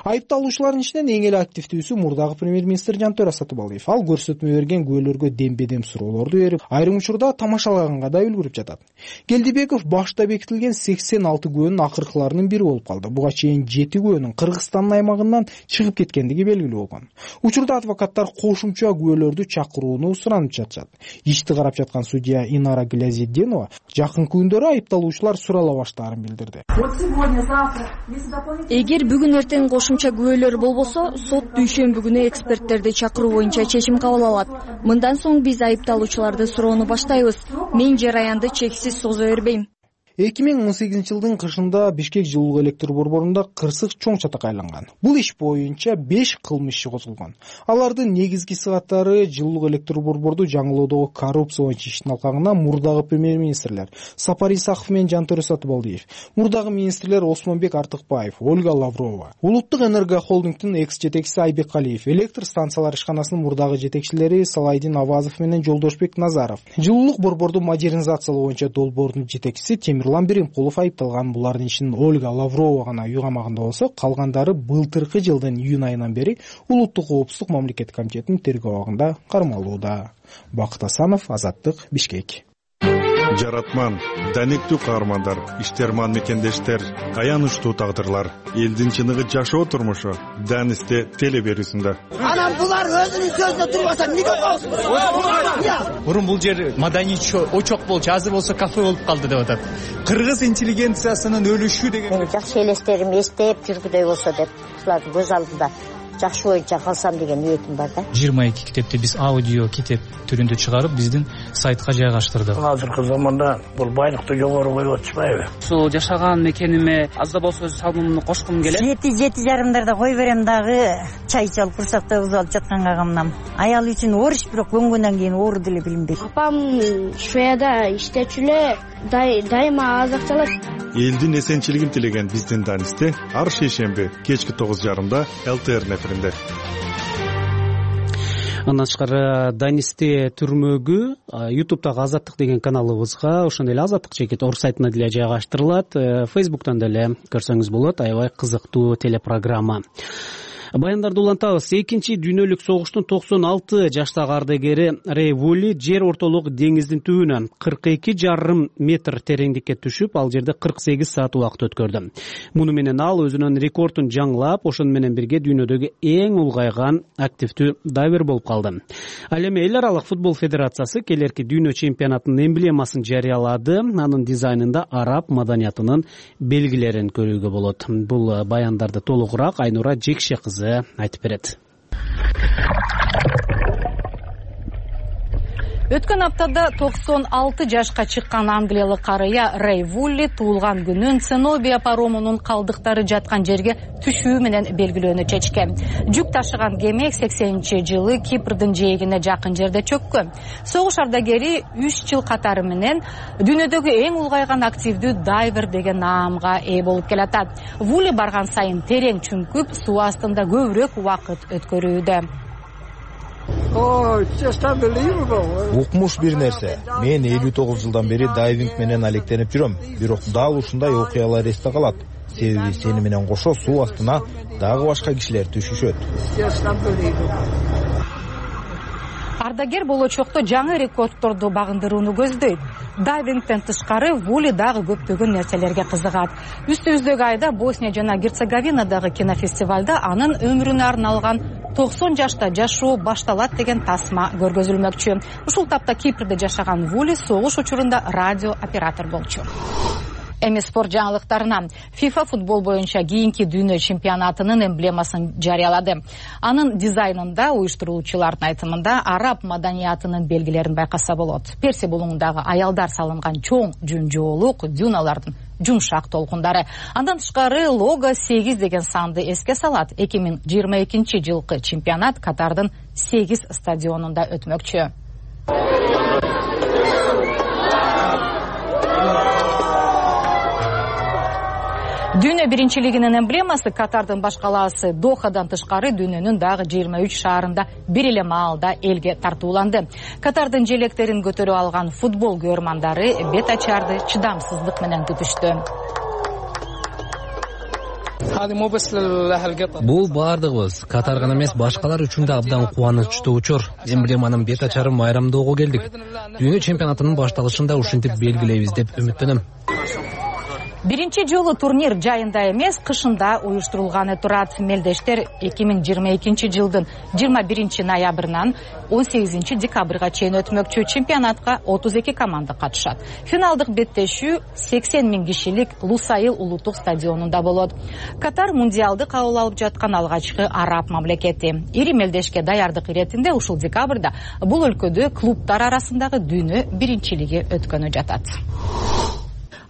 Айыпталуучулардын ичинен эң эле активдүүсү мурдагы премьер-министр Жантөре Сатыбалдиев. Ал көрсөтмө берген күбөлөргө дембедем суроолорду берип, айрым учурда тамашалаганга да үлгүрүп жатат. Келдибеков башта бекитилген 86 күбөнүн акыркыларынын бири болуп калды. Буга чейин 7 күбөнүн Кыргызстандын аймагынан чыгып кеткендиги белгилүү болгон. Учурда адвокаттар кошумча күбөлөрдү чакырууну суранып жатышат. Ишти карап жаткан судья Инара Глязетдинова жакынкы күндөрү айыпталуучулар сурала баштаарын билдирди.
Эгер бүгүн эртең кошумча күбөлөр болбосо, сот дүйшөмбү күнү эксперттерди чакыруу боюнча чечим кабыл алат. Мындан соң биз айыпталуучуларды суроону баштайбыз. Мен жараянды чексиз созо бербейм.
2018 жылдын кышында Бишкек жылуулук электр борборунда кырсык чоң чатак айланган. Бул иш боюнча 5 кылмыш иши козголгон. Алардын негизги сыгаттары жылуулук электр борборду жаңылоодогу коррупция боюнча иштин алкагына мурдагы премьер-министрлер Сапар Исаков менен Жантөре Сатыбалдиев, мурдагы министрлер Осмонбек Артыкбаев, Ольга Лаврова, Улуттук энерго холдингдин экс-жетекчиси Айбек Калиев, электр станциялар ишканасынын мурдагы жетекчилери Салайдин Авазов менен Жолдошбек Назаров, жылуулук борборду модернизациялоо боюнча долбоордун жетекчиси Темирлан Биримкулов айыпталган. Булардын ичинен Ольга Лаврова гана үй камагында болсо, калгандары былтыркы жылдын июнь айынан бери Улуттук коопсуздук мамлекеттик комитетинин тергөө абагында кармалууда. Бакыт Асанов, Азаттык, Бишкек.
жаратман, данектүү каармандар, иштерман мекендештер, аянычтуу тагдырлар, элдин чыныгы жашоо турмушу Данисте теле берүүсүндө.
Анан булар өзүнүн сөзүнө турбаса эмнеге коесуң?
Мурун бул жер маданий очок болчу, азыр болсо кафе болуп калды деп атат. Кыргыз интеллигенциясынын өлүшү деген.
Мен жакшы элестерим эстеп жүргүдөй болсо деп, ушулардын көз алдында жакшы боюнча калсам деген ниетим бар да.
22 китепти биз аудио китеп түрүндө чыгарып, биздин сайтка жайгаштырдык.
Азыркы заманда бул байлыкты жогору коюп атышпайбы?
Ушул жашаган мекениме аз да болсо өз салымымды кошкум келет.
7:30 кой берем дагы, чай ичип алып курсакта уз алып жатканга камнам. Аял үчүн оруч, бирок көнгөндөн кийин оору деле билинбейт.
Апам Шведияда иштечү эле, дайыма азыкталат.
Элдин эсенчилигин тилеген биздин Данисте ар шейшемби кечки 9:30 ЛТР неферинде.
Андан тышкары Данисте түрмөгү YouTube'дагы Азаттык деген каналыбызга, ошондой эле Азаттык чекит орг сайтына деле жайгаштырылат. Facebook'тан деле көрсөңүз болот. Аябай кызыктуу телепрограмма. Баяндарды улантабыз. Экинчи дүйнөлүк согуштун 96 жаштагы ардагери Рэй Вулли жер ортолук деңиздин түбүнө 42,5 метр тереңдикке түшүп, ал жерде 48 саат убакыт өткөрдү. Муну менен ал өзүнүн рекордун жаңылап, ошону менен бирге дүйнөдөгү эң улгайган активдүү дайвер болуп калды. Ал эми Эл аралык футбол федерациясы келерки дүйнө чемпионатынын эмблемасын жарыялады. Анын дизайнында араб маданиятынын белгилерин көрүүгө болот. Бул баяндарды толугураак Айнура Жекше кызы айтып берет.
Өткөн аптада 96 жашка чыккан англиялык карыя Рэй Вулли туулган күнүн Ценобия паромунун калдыктары жаткан жерге түшүү менен белгилөөнү чечкен. Жүк ташыган кеме 80-жылы Кипрдин жээгине жакын жерде чөккөн. Согуш ардагери 3 жыл катары менен дүйнөдөгү эң улгайган активдүү дайвер деген наамга ээ болуп келатат. Вулли барган сайын терең чүңкүп, суу астында көбүрөөк убакыт өткөрүүдө.
Укмуш бир нерсе. Мен 59 жылдан бери дайвинг менен алектенип жүрөм. Бирок дал ушундай окуялар эсте калат. Себеби сени менен кошо суу астына дагы башка кишилер түшүшөт.
Ардагер болочокто жаңы рекордторду багындырууну көздөйт. Дайвингден тышкары Вулли дагы көптөгөн нерселерге кызыгат. Үстүбүздөгү айда Босния жана Герцеговинадагы кинофестивалда анын өмүрүнө арналган 90 жашта жашоо башталат деген тасма көргөзүлмөкчү. Ушул тапта Кипрде жашаган Вулли согуш учурунда радио оператор болчу. Эми спорт жаңылыктарына. FIFA футбол боюнча кийинки дүйнө чемпионатынын эмблемасын жарыялады. Анын дизайнында уюштуруучулардын айтымында араб маданиятынын белгилерин байкаса болот. Персия булуңундагы аялдар салынган чоң жүн-жоолук дюналардын жумшак толкундары. Андан тышкары лого 8 деген санды эске салат. 2022 жылкы чемпионат Катардын 8 стадионунда өтмөкчү. Дүйнө биринчилигинин эмблемасы Катардын баш калаасы Дохадан тышкары дүйнөнүн дагы 23 шаарында бир эле маалда элге тартууланды. Катардын желектерин көтөрүп алган футбол көрмандары бет ачарды чыдамсыздык менен күтүштү.
Бул баардыгыбыз Катар гана эмес, башкалар үчүн да абдан кубанычтуу учур. Эмблеманын бет ачарын майрамдоого келдик. Дүйнө чемпионатынын башталышында ушинтип белгилейбиз деп үмүттөнөм.
Биринчи жолу турнир жайында эмес, кышында уюштурулганы турат. Мелдештер 2022 жылдын 21 ноябрынан 18 декабрга чейин өтмөкчү. Чемпионатка 32 команда катышат. Финалдык беттешүү 80 000 кишилик Лусаил улуттук стадионунда болот. Катар мундиалды кабыл алып жаткан алгачкы араб мамлекети. Ири мелдешке даярдык иретинде ушул декабрда бул өлкөдө клубтар арасындагы дүйнө биринчилиги өткөнү жатат.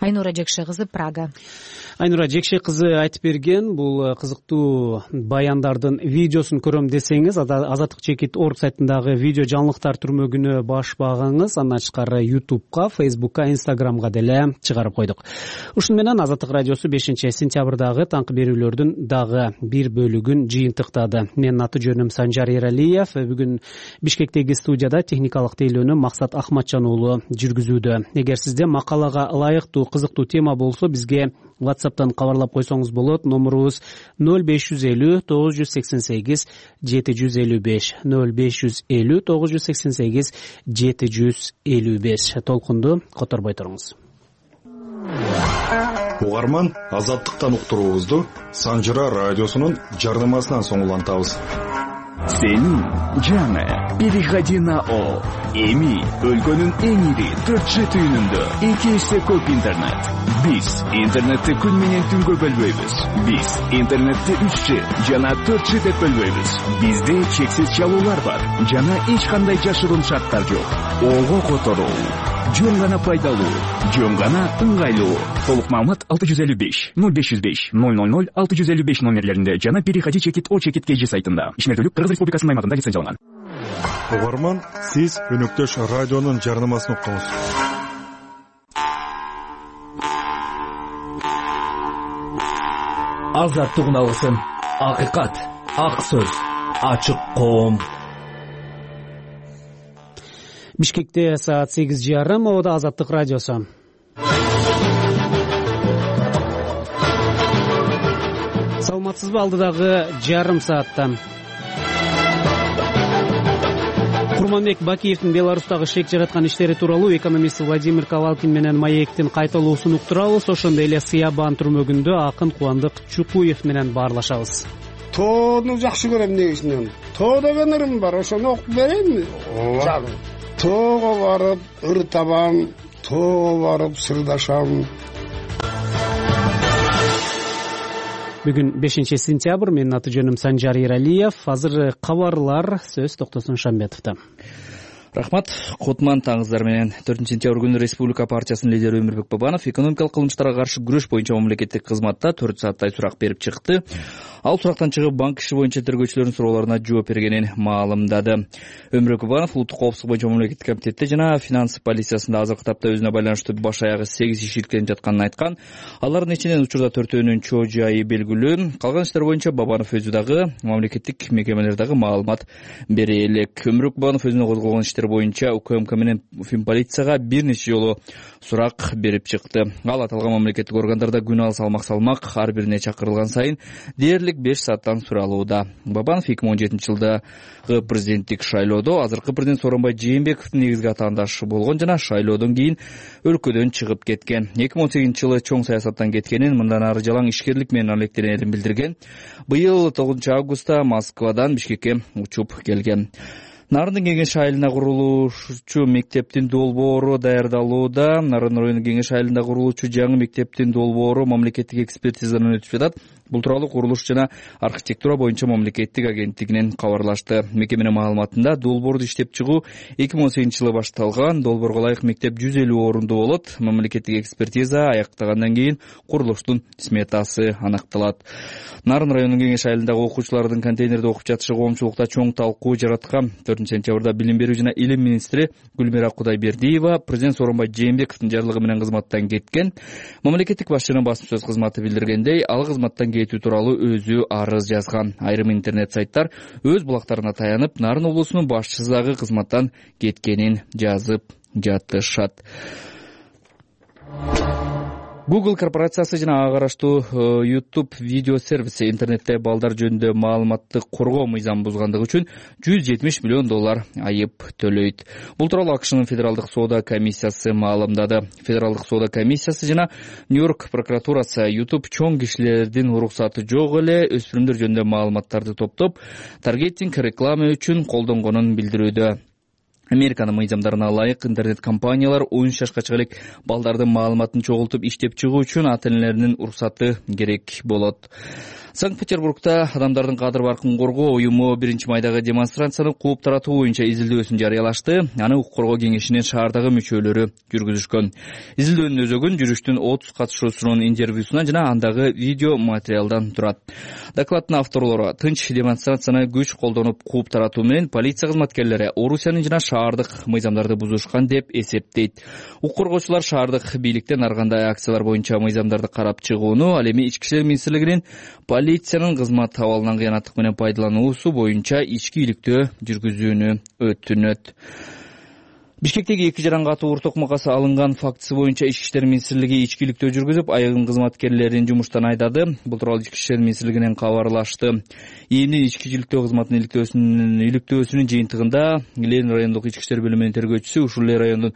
Айнура Жекше кызы, Прага.
Айнура Жекше кызы айтып берген бул кызыктуу баяндардын видеосун көрөм десеңиз, Азаттык чекит орг сайтындагы видео жаңылыктар түрмөгүнө баш багыңыз. Андан тышкары YouTube'га, Facebook'ка, Instagram'га деле чыгарып койдук. Ушун менен Азаттык радиосу 5-сентябрдагы таңкы берүүлөрдүн дагы бир бөлүгүн жыйынтыктады. Менин аты жөнүм Санжар Эралиев. Бүгүн Бишкектеги студияда техникалык тейлөөнү Максат Ахматжан уулу жүргүзүүдө. Эгер сизде макалага ылайыктуу кызыктуу тема болсо бизге WhatsApp'тан кабарлап койсоңуз болот. Номурубуз 0550 988 755 0550 988 755. Толкунду которбой туруңуз.
Угарман, азаттыктан уктуруубузду Санжыра радиосунун жардамасынан соң улантабыз.
Сенин жаңы переходи на О. Эми өлкөнүн эң ири 4G түйүнүндө 2 эсе көп интернет. Биз интернетти күн менен түнгө бөлбөйбүз. Биз интернетти 3G жана 4G деп бөлбөйбүз. Бизде чексиз чалуулар бар жана эч кандай жашыруун шарттар жок. Ого которуу жөн гана пайдалуу, жөн гана ыңгайлуу. Толук маалымат 655 0505 000 655 номерлеринде жана переходи чекит О чекит КЖ сайтында. Ишмердүүлүк Кыргыз Республикасынын аймагында лицензияланган.
Угарман, сиз өнөктөш радионун жарнамасын уктуңуз.
Азаттык уналысын. Акыйкат, ак сөз, ачык коом.
Бишкекте саат 8:30, Ода Азаттык радиосу. Саламатсызбы, алдыдагы жарым саатта. Курманбек Бакиевдин Беларустагы шек жараткан иштери тууралуу экономист Владимир Ковалкин менен Маектин кайталуусун уктурабыз. Ошондой эле Сыябан түрмөгүндө акын Кубандык Чукуев менен баарлашабыз.
Тоону жакшы көрөм негизинен. Тоо деген ырым бар, ошону окуп берейинби? Ооба. Тоого барып ыр табам, тоого барып сырдашам.
Бүгүн 5-сентябрь, менин аты жөнүм Санжар Иралиев. Азыр кабарлар, сөз Токтосун Шамбетовдо.
Рахмат. Кутман таңыздар менен 4-сентябрь күнү Республика партиясынын лидери Өмүрбек Бабанов экономикалык кылмыштарга каршы күрөш боюнча мамлекеттик кызматта 4 сааттай сурак берип чыкты. Ал сурактан чыгып банк иши боюнча тергөөчүлөрдүн суроолоруна жооп бергенин маалымдады. Өмүрбек Бабанов улуттук коопсуздук боюнча мамлекеттик комитетте жана финанс полициясында азыркы тапта өзүнө байланыштуу баш аягы 8 иш иркеленип жатканын айткан. Алардын ичинен учурда 4-өөнүн чоо жайы белгилүү. Калган иштер боюнча Бабанов өзү дагы мамлекеттик мекемелердеги маалымат бере элек. Өмүрбек Бабанов өзүнө козголгон иштер боюнча УКМК менен Финполицияга бир нече жолу сурак берип чыкты. Ал аталган мамлекеттик органдарда күн алыс салмак ар бирине чакырылган сайын дээрлик 5 сааттан суралууда. Бабанов 2017-жылдагы президенттик шайлоодо азыркы президент Сооронбай Жээнбековдун негизги атаандашы болгон жана шайлоодон кийин өлкөдөн чыгып кеткен. 2018-жылы чоң саясаттан кеткенин, мындан ары жалаң ишкерлик менен алектенерин билдирген. Быйыл 9-августта Москвадан Бишкекке учуп келген. Нарындын кеңеш айылына курулуучу мектептин долбоору даярдалууда. Нарын районунун кеңеш айылында курулуучу жаңы мектептин долбоору мамлекеттик экспертизадан өтүп жатат. Бул тууралуу курулуш жана архитектура боюнча мамлекеттик агенттигинен кабарлашты. Мекеменин маалыматында долбоорду иштеп чыгуу 2018-жылы башталган. Долбоорго ылайык мектеп 150 орундуу болот. Мамлекеттик экспертиза аяктагандан кийин курулуштун сметасы анакталат. Нарын районунун кеңеш айылындагы окуучулардын контейнерде окуп жатышы коомчулукта чоң талкуу жараткан. 4-сентябрда билим берүү жана илим министри Гүлмира Кудайбердиева президент Сооронбай Жээнбековдун жарлыгы менен кызматтан кеткен. Мамлекеттик башчынын басма сөз кызматы билдиргендей, ал кызматтан кетүү тууралуу өзү арыз жазган. Айрым интернет сайттар өз булактарына таянып, Нарын облусунун башчысы дагы кызматтан кеткенин жазып жатышат. Google корпорациясы жана ага караштуу YouTube видео сервиси интернетте балдар жөнүндө маалыматты коргоо мыйзамын бузгандыгы үчүн $170 миллион айып төлөйт. Бул тууралуу АКШнын федералдык соода комиссиясы маалымдады. Федералдык соода комиссиясы жана Нью-Йорк прокуратурасы YouTube чоң кишилердин уруксаты жок эле өспүрүмдөр жөнүндө маалыматтарды топтоп, таргетинг реклама үчүн колдонгонун билдирүүдө. Американын мыйзамдарына ылайык интернет компаниялар 13 жашка чыга балдардын маалыматын чогултуп иштеп чыгуу үчүн ата-энелеринин уруксаты керек болот. Санкт-Петербургда адамдардын кадыр баркын коргоо уюму 1-майдагы демонстрацияны кууп таратуу боюнча изилдөөсүн жарыялашты. Аны укук коргоо кеңешинин шаардагы мүчөлөрү жүргүзүшкөн. Изилдөөнүн өзөгүн жүрүштүн 30 катышуусунун интервьюсунан жана андагы видео материалдан турат. Докладдын авторлору тынч демонстрацияны күч колдонуп кууп таратуу менен полиция кызматкерлери Орусиянын жана шаардык мыйзамдарды бузушкан деп эсептейт. Укук коргоочулар шаардык бийликтен ар кандай акциялар боюнча мыйзамдарды карап чыгууну, ал эми Ички иштер министрлигинин полициянын кызмат абалынан кыянаттык менен пайдалануусу боюнча ички иликтөө жүргүзүүнү өтүнөт. Бишкектеги 2 жаран катуу ур токмокасы алынган фактысы боюнча Ички иштер министрлиги ичкиликтөө жүргүзүп, айыгым кызматкерлерин жумуштан айдады. Бул тууралуу Ички иштер министрлигинен кабарлашты. ИИМдин ичкичиликтөө кызматынын иликтөөсүнүн жыйынтыгында Лен райондук ички иштер бөлүмүнүн тергөөчүсү, ушул эле райондун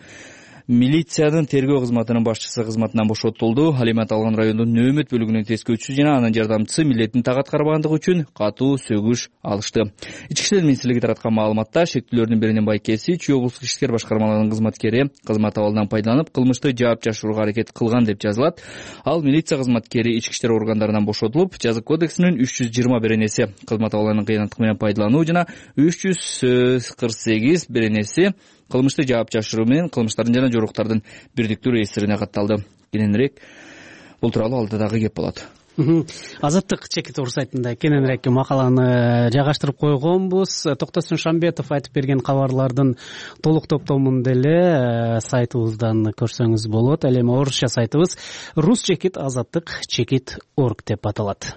милициянын тергөө кызматынын башчысы кызматынан бошотулду. Ал эми аталган райондун нөөмөт бөлүгүнүн тескөөчүсү жана анын жардамчысы милдетин так аткарбагандыгы үчүн катуу сөгүш алышты. Ички иштер министрлиги тараткан маалыматта шектүүлөрдүн биринин байкеси Чүй облустук ишкер башкармаларынын кызматкери кызмат абалынан пайдаланып, кылмышты жаап жашырууга аракет кылган деп жазылат. Ал милиция кызматкери ички иштер органдарынан бошотулуп, жазык кодексинин 320 беренеси кызмат абалынын кыянаттык менен пайдалануу жана 348 беренеси кылмышты жаап жашыруу менен кылмыштардын жана жоруктардын бирдиктүү реестрине катталды. Кененирээк бул тууралуу алда дагы кеп болот.
Азаттык чекит ор сайтында кененирээк макаланы жайгаштырып койгонбуз. Токтосун Шамбетов айтып берген кабарлардын толук топтомун деле сайтыбыздан көрсөңүз болот. Ал эми орусча сайтыбыз Рус чекит азаттык чекит орг деп аталат.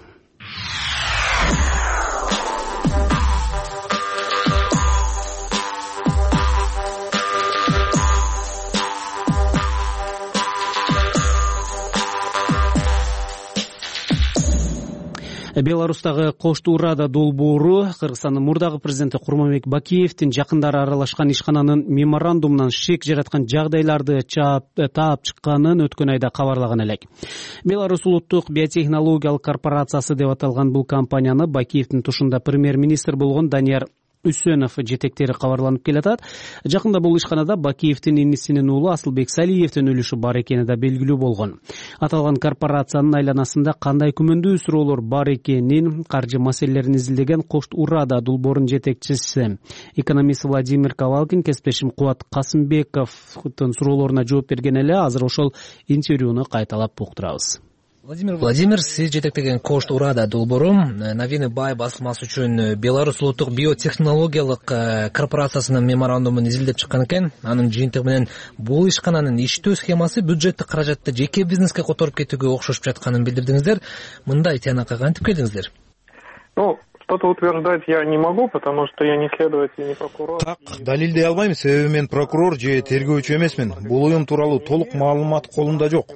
Беларустагы Коштуу Рада долбоору Кыргызстандын мурдагы президенти Курманбек Бакиевдин жакындары аралашкан ишкананын меморандумунан шек жараткан жагдайларды таап чыкканын өткөн айда кабарлаган элек. Беларусь улуттук биотехнологиялык корпорациясы деп аталган бул компанияны Бакиевдин тушунда премьер-министр болгон Данияр Үсөнов жетектери кабарланып келатат. Жакында бул ишканада Бакиевдин инисинин уулу Асылбек Салиевдин үлүшү бар экени да белгилүү болгон. Аталган корпорациянын айланасында кандай күмөндүү суроолор бар экенин, каржы маселелерин изилдеген Коштуу Рада долбоорунун жетекчиси экономист Владимир Ковалкин кесиптешим Кубат Касымбековдун суроолоруна жооп берген эле. Азыр ошол интервьюну кайталап уктурабыз.
Владимир, сиз жетектеген Коштуу Рада долбоору Новины Бай басылмасы үчүн Беларусь улуттук биотехнологиялык корпорациясынын меморандумун изилдеп чыккан экен. Анын жыйынтыгы менен бул ишкананын иштөө схемасы бюджеттик каражатты жеке бизнеске которуп кетүүгө окшошуп жатканын билдирдиңиздер. Мындай тыянакка кантип келдиңиздер?
Что-то утверждать я не могу, потому что я не следователь, не прокурор.
Так, далилдей албайм, себеби мен прокурор же тергөөчү эмесмин. Бул уюм тууралуу толук маалымат колумда жок.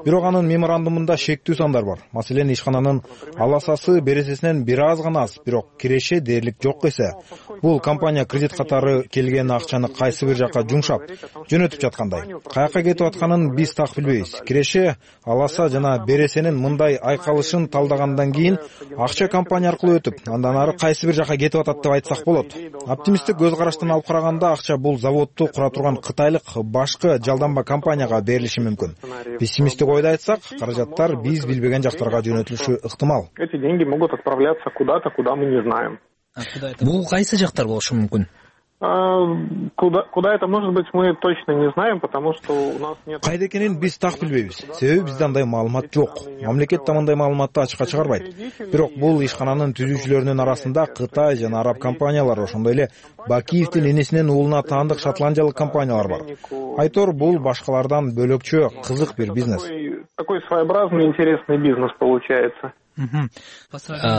Бирок анын меморандумунда шектүү сандар бар. Маселен, ишкананын аласасы бересесинен бир аз гана аз, бирок киреше дээрлик жок эсе. Бул компания кредит катары келген акчаны кайсы бир жакка жумшап, жөнөтүп жаткандай. Каяка кетип атканын биз так билбейбиз. Киреше, аласа жана бересенин мындай айкалышын талдагандан кийин акча компания аркылуу өтүп, андан ары кайсы бир жака кетип атат деп айтсак болот. Оптимисттик көз караштан алып караганда акча бул заводду кура турган кытайлык башкы жалданба компанияга берилиши мүмкүн. Пессимисттик ойдо айтсак, каражаттар биз билбеген жактарга жөнөтүлүшү ыктымал.
Эти деньги могут отправляться куда-то, куда мы не знаем.
Бул кайсы жактар болушу мүмкүн?
Куда это может быть, мы точно не знаем, потому что у нас нет...
Кайда экенин биз так билбейбиз. Себеби бизде андай маалымат жок. Мамлекет да мындай маалыматты ачыкка чыгарбайт. Бирок бул ишкананын түзүүчүлөрүнүн арасында Кытай жана араб компаниялары, ошондой эле Бакиевдин энесинин уулуна таандык шотландиялык компаниялар бар. Айтор, бул башкалардан бөлөкчө, кызык бир бизнес.
Такой своеобразный, интересный бизнес получается.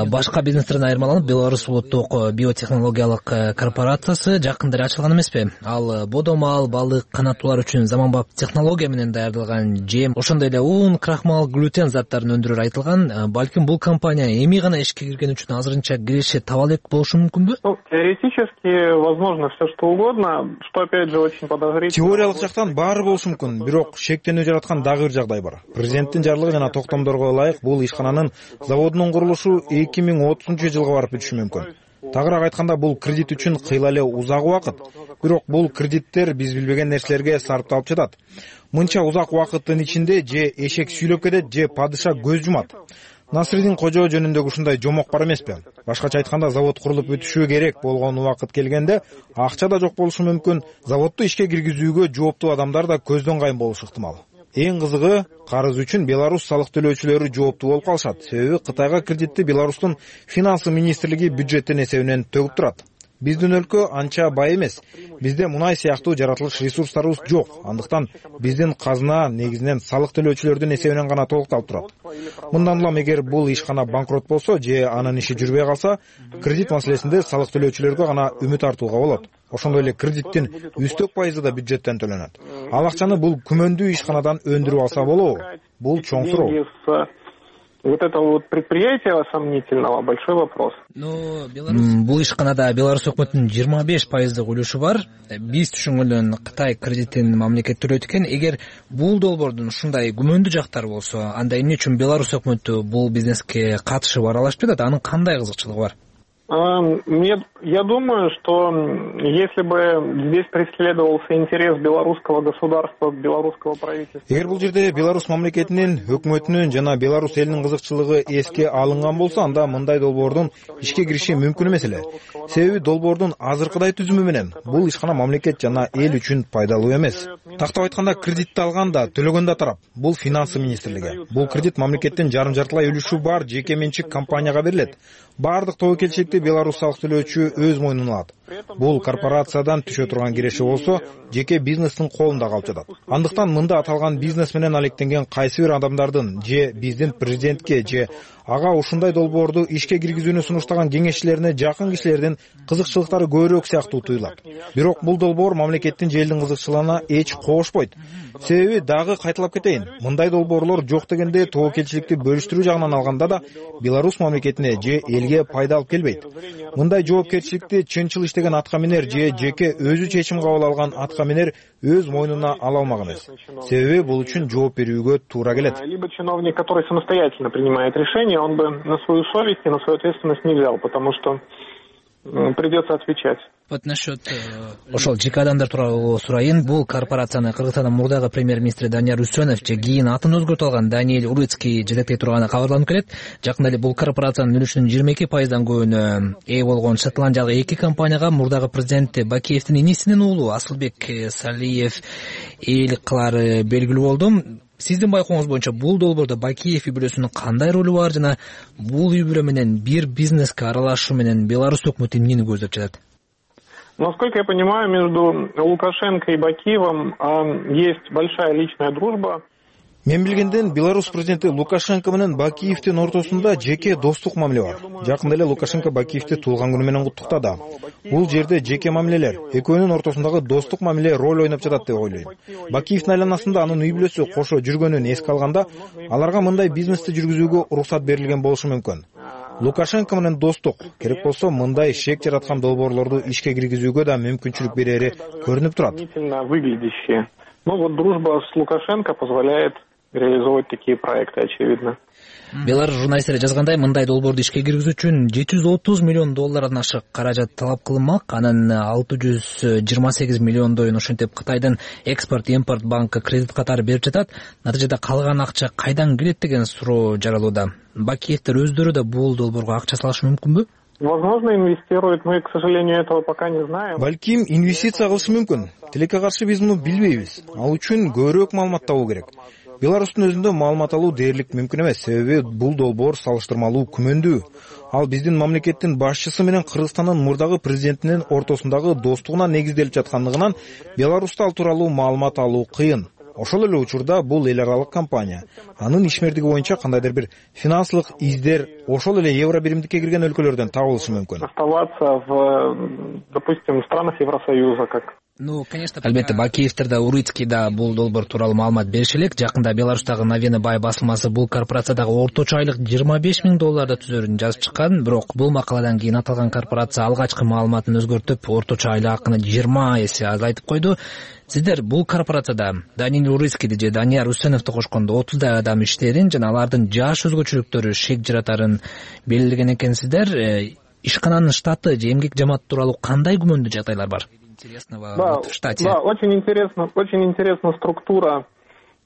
Башка бизнестерден айырмаланып, Беларусь улуттук биотехнологиялык корпорациясы жакында эле ачылган эмеспи? Ал бодомал, балык, канаттуулар үчүн заманбап технология менен даярдалган жем, ошондой эле ун, крахмал, глютен заттарын өндүрөр айтылган. Балким бул компания эми гана ишке кирген үчүн азырынча киреше таба элек болушу мүмкүнбү?
Теоретически возможно все что угодно, что опять же очень подозрительно.
Теориялык жактан баары болушу мүмкүн, бирок шектенүү жараткан дагы бир жагдай бар. Президенттин жарлыгы жана токтомдорго ылайык бул ишкананын заводунун курулушу 2030-жылга барып бүтүшү мүмкүн. Тагыраак айтканда, бул кредит үчүн кыйла эле узак убакыт. Бирок бул кредиттер биз билбеген нерселерге сарпталып жатат. Мынча узак убакыттын ичинде же эшек сүйлөп кетет, же падыша көз жумат. Насридин кожо жөнүндөгү ушундай жомок бар эмеспи? Башкача айтканда, завод курулуп бүтүшү керек болгон убакыт келгенде акча да жок болушу мүмкүн, заводду ишке киргизүүгө жооптуу адамдар да көздөн кайын болушу ыктымал. Эң кызыгы, карыз үчүн Беларусь салык төлөөчүлөрү жооптуу болуп калышат. Себеби Кытайга кредитти Беларустун финансы министрлиги бюджеттин эсебинен төгүп турат. Биздин өлкө анча бай эмес. Бизде мунай сыяктуу жаратылыш ресурстарыбыз жок. Андыктан биздин казына негизинен салык төлөөчүлөрдүн эсебинен гана толукталып турат. Мындан улам эгер бул ишкана банкрот болсо же анын иши жүрбөй калса, кредит маселесинде салык төлөөчүлөргө гана үмүт артууга болот. ошондой эле кредиттин үстөк пайызы да бюджеттен төлөнөт. Ал акчаны бул күмөндүү ишканадан өндүрүп алса болобу? Бул чоң суроо.
Вот этого вот предприятия сомнительного большой вопрос.
Бул ишканада Беларусь өкмөтүнүн 25% үлүшү бар. Биз түшүнгөндөн Кытай кредитин мамлекет төлөйт экен. Эгер бул долбоордун ушундай күмөндүү жактары болсо, анда эмне үчүн Беларусь өкмөтү бул бизнеске катышып аралашып жатат? Анын кандай кызыкчылыгы бар?
Я думаю, что если бы здесь преследовался интерес белорусского государства, белорусского правительства...
Эгер бул жерде Беларусь мамлекетинин, өкмөтүнүн жана Беларусь элинин кызыкчылыгы эске алынган болсо, анда мындай долбоордун ишке кириши мүмкүн эмес эле. Себеби долбоордун азыркыдай түзүмү менен бул ишкана мамлекет жана эл үчүн пайдалуу эмес. Тактап айтканда, кредитти алган да, төлөгөн да тарап бул финансы министрлиги. Бул кредит мамлекеттин жарым-жартылай үлүшү бар жеке менчик компанияга берилет. Бардык тобокелчиликти Беларусь салык төлөөчү өз мойнуна алат. Бул корпорациядан түшө турган киреши болсо, жеке бизнестин колунда калып жатат. Андыктан мында аталган бизнес менен алектенген кайсы бир адамдардын же биздин президентке же ага ушундай долбоорду ишке киргизүүнү сунуштаган кеңешчилерине жакын кишилердин кызыкчылыктары көбүрөөк сыяктуу туюлат. Бирок бул долбоор мамлекеттин же элдин кызыкчылыгына эч кошпойт. Себеби дагы кайталап кетейин, мындай долбоорлор жок дегенде тобокелчиликти бөлүштүрүү жагынан алганда да Беларусь мамлекетине же элге пайда алып келбейт. Мындай жоопкерчиликти чынчыл иштеген атка минер же жеке өзү чечим кабыл алган атка минер өз мойнуна ала алмак эмес. Себеби бул үчүн жооп берүүгө туура келет.
Либо чиновник, который самостоятельно принимает решение, он бы на свою совесть и на свою ответственность не взял, потому что придется отвечать.
Вот насчет ошол жеке адамдар тууралуу сурайын. Бул корпорацияны Кыргызстандын мурдагы премьер-министри Данияр Үсөнов же кийин атын өзгөртүп алган Даниэль Урыцкий жетектей турганы кабарланып келет. Жакында эле бул корпорациянын үлүшүнүн 22%дан көбүнө ээ болгон шотландиялык эки компанияга мурдагы президенти Бакиевдин инисинин уулу Асылбек Салиев ээлик кылары белгилүү болду. Сиздин байкооңуз боюнча бул долбоордо Бакиев үй бүлөсүнүн кандай ролу бар жана бул үй бүлө менен бир бизнеске аралашуу менен Беларусь өкмөтү эмнени көздөп жатат?
Насколько я понимаю, между Лукашенко и Бакиевым есть большая личная дружба.
Мен билгенден Беларусь президенти Лукашенко менен Бакиевдин ортосунда жеке достук мамиле бар. Жакында эле Лукашенко Бакиевди туулган күнү менен куттуктады. Бул жерде жеке мамилелер, экөөнүн ортосундагы достук мамиле роль ойноп жатат деп ойлойм. Бакиевдин айланасында анын үй бүлөсү кошо жүргөнүн эске алганда, аларга мындай бизнести жүргүзүүгө уруксат берилген болушу мүмкүн. Лукашенко менен достук, керек болсо мындай шек жараткан долбоорлорду ишке киргизүүгө да мүмкүнчүлүк берери көрүнүп турат.
Ну вот дружба с Лукашенко позволяет реализовать такие проекты, очевидно.
Беларусь журналисттери жазгандай, мындай долбоорду ишке киргизүү үчүн $730 миллион ашык каражат талап кылынмак. Анын 628 миллиондойун ошентип Кытайдын экспорт-импорт банкы кредит катары берип жатат. Натыйжада калган акча кайдан келет деген суроо жаралууда. Бакиевдер өздөрү да бул долбоорго акча салышы мүмкүнбү?
Возможно, инвестируют, мы, к сожалению, этого пока не знаем.
Балким инвестиция кылышы мүмкүн. Тилекке каршы биз муну билбейбиз. Ал үчүн көбүрөөк маалымат табуу керек. Беларустун өзүндө маалымат алуу дээрлик мүмкүн эмес, себеби бул долбоор салыштырмалуу күмөндүү. Ал биздин мамлекеттин башчысы менен Кыргызстандын мурдагы президентинин ортосундагы достугуна негизделип жаткандыгынан Беларусьта ал тууралуу маалымат алуу кыйын. Ошол эле учурда бул эл аралык компания. Анын ишмердиги боюнча кандайдыр бир финансылык издер ошол эле евро биримдикке кирген өлкөлөрдөн табылышы мүмкүн.
Оставаться в, допустим, странах Евросоюза, как
Албетте, Бакиевдер да, Урыцкий да бул долбоор тууралуу маалымат бериши элек. Жакында Беларустагы Новини бай басылмасы бул корпорациядагы орточо айлык $25 миң түзөрүн жазып чыккан. Бирок бул макаладан кийин аталган корпорация алгачкы маалыматын өзгөртүп, орточо айлык акыны 20 эсе азайтып койду. Сиздер бул корпорацияда Даниэль Урыцкийди же Данияр Үсөновду кошкондо 30 адам иштерин жана алардын жаш өзгөчөлүктөрү шек жаратарын белгилеген экенсиздер. Ишкананын штаты же эмгек жамааты тууралуу кандай күмөндүү жагдайлар бар?
Да, очень интересна структура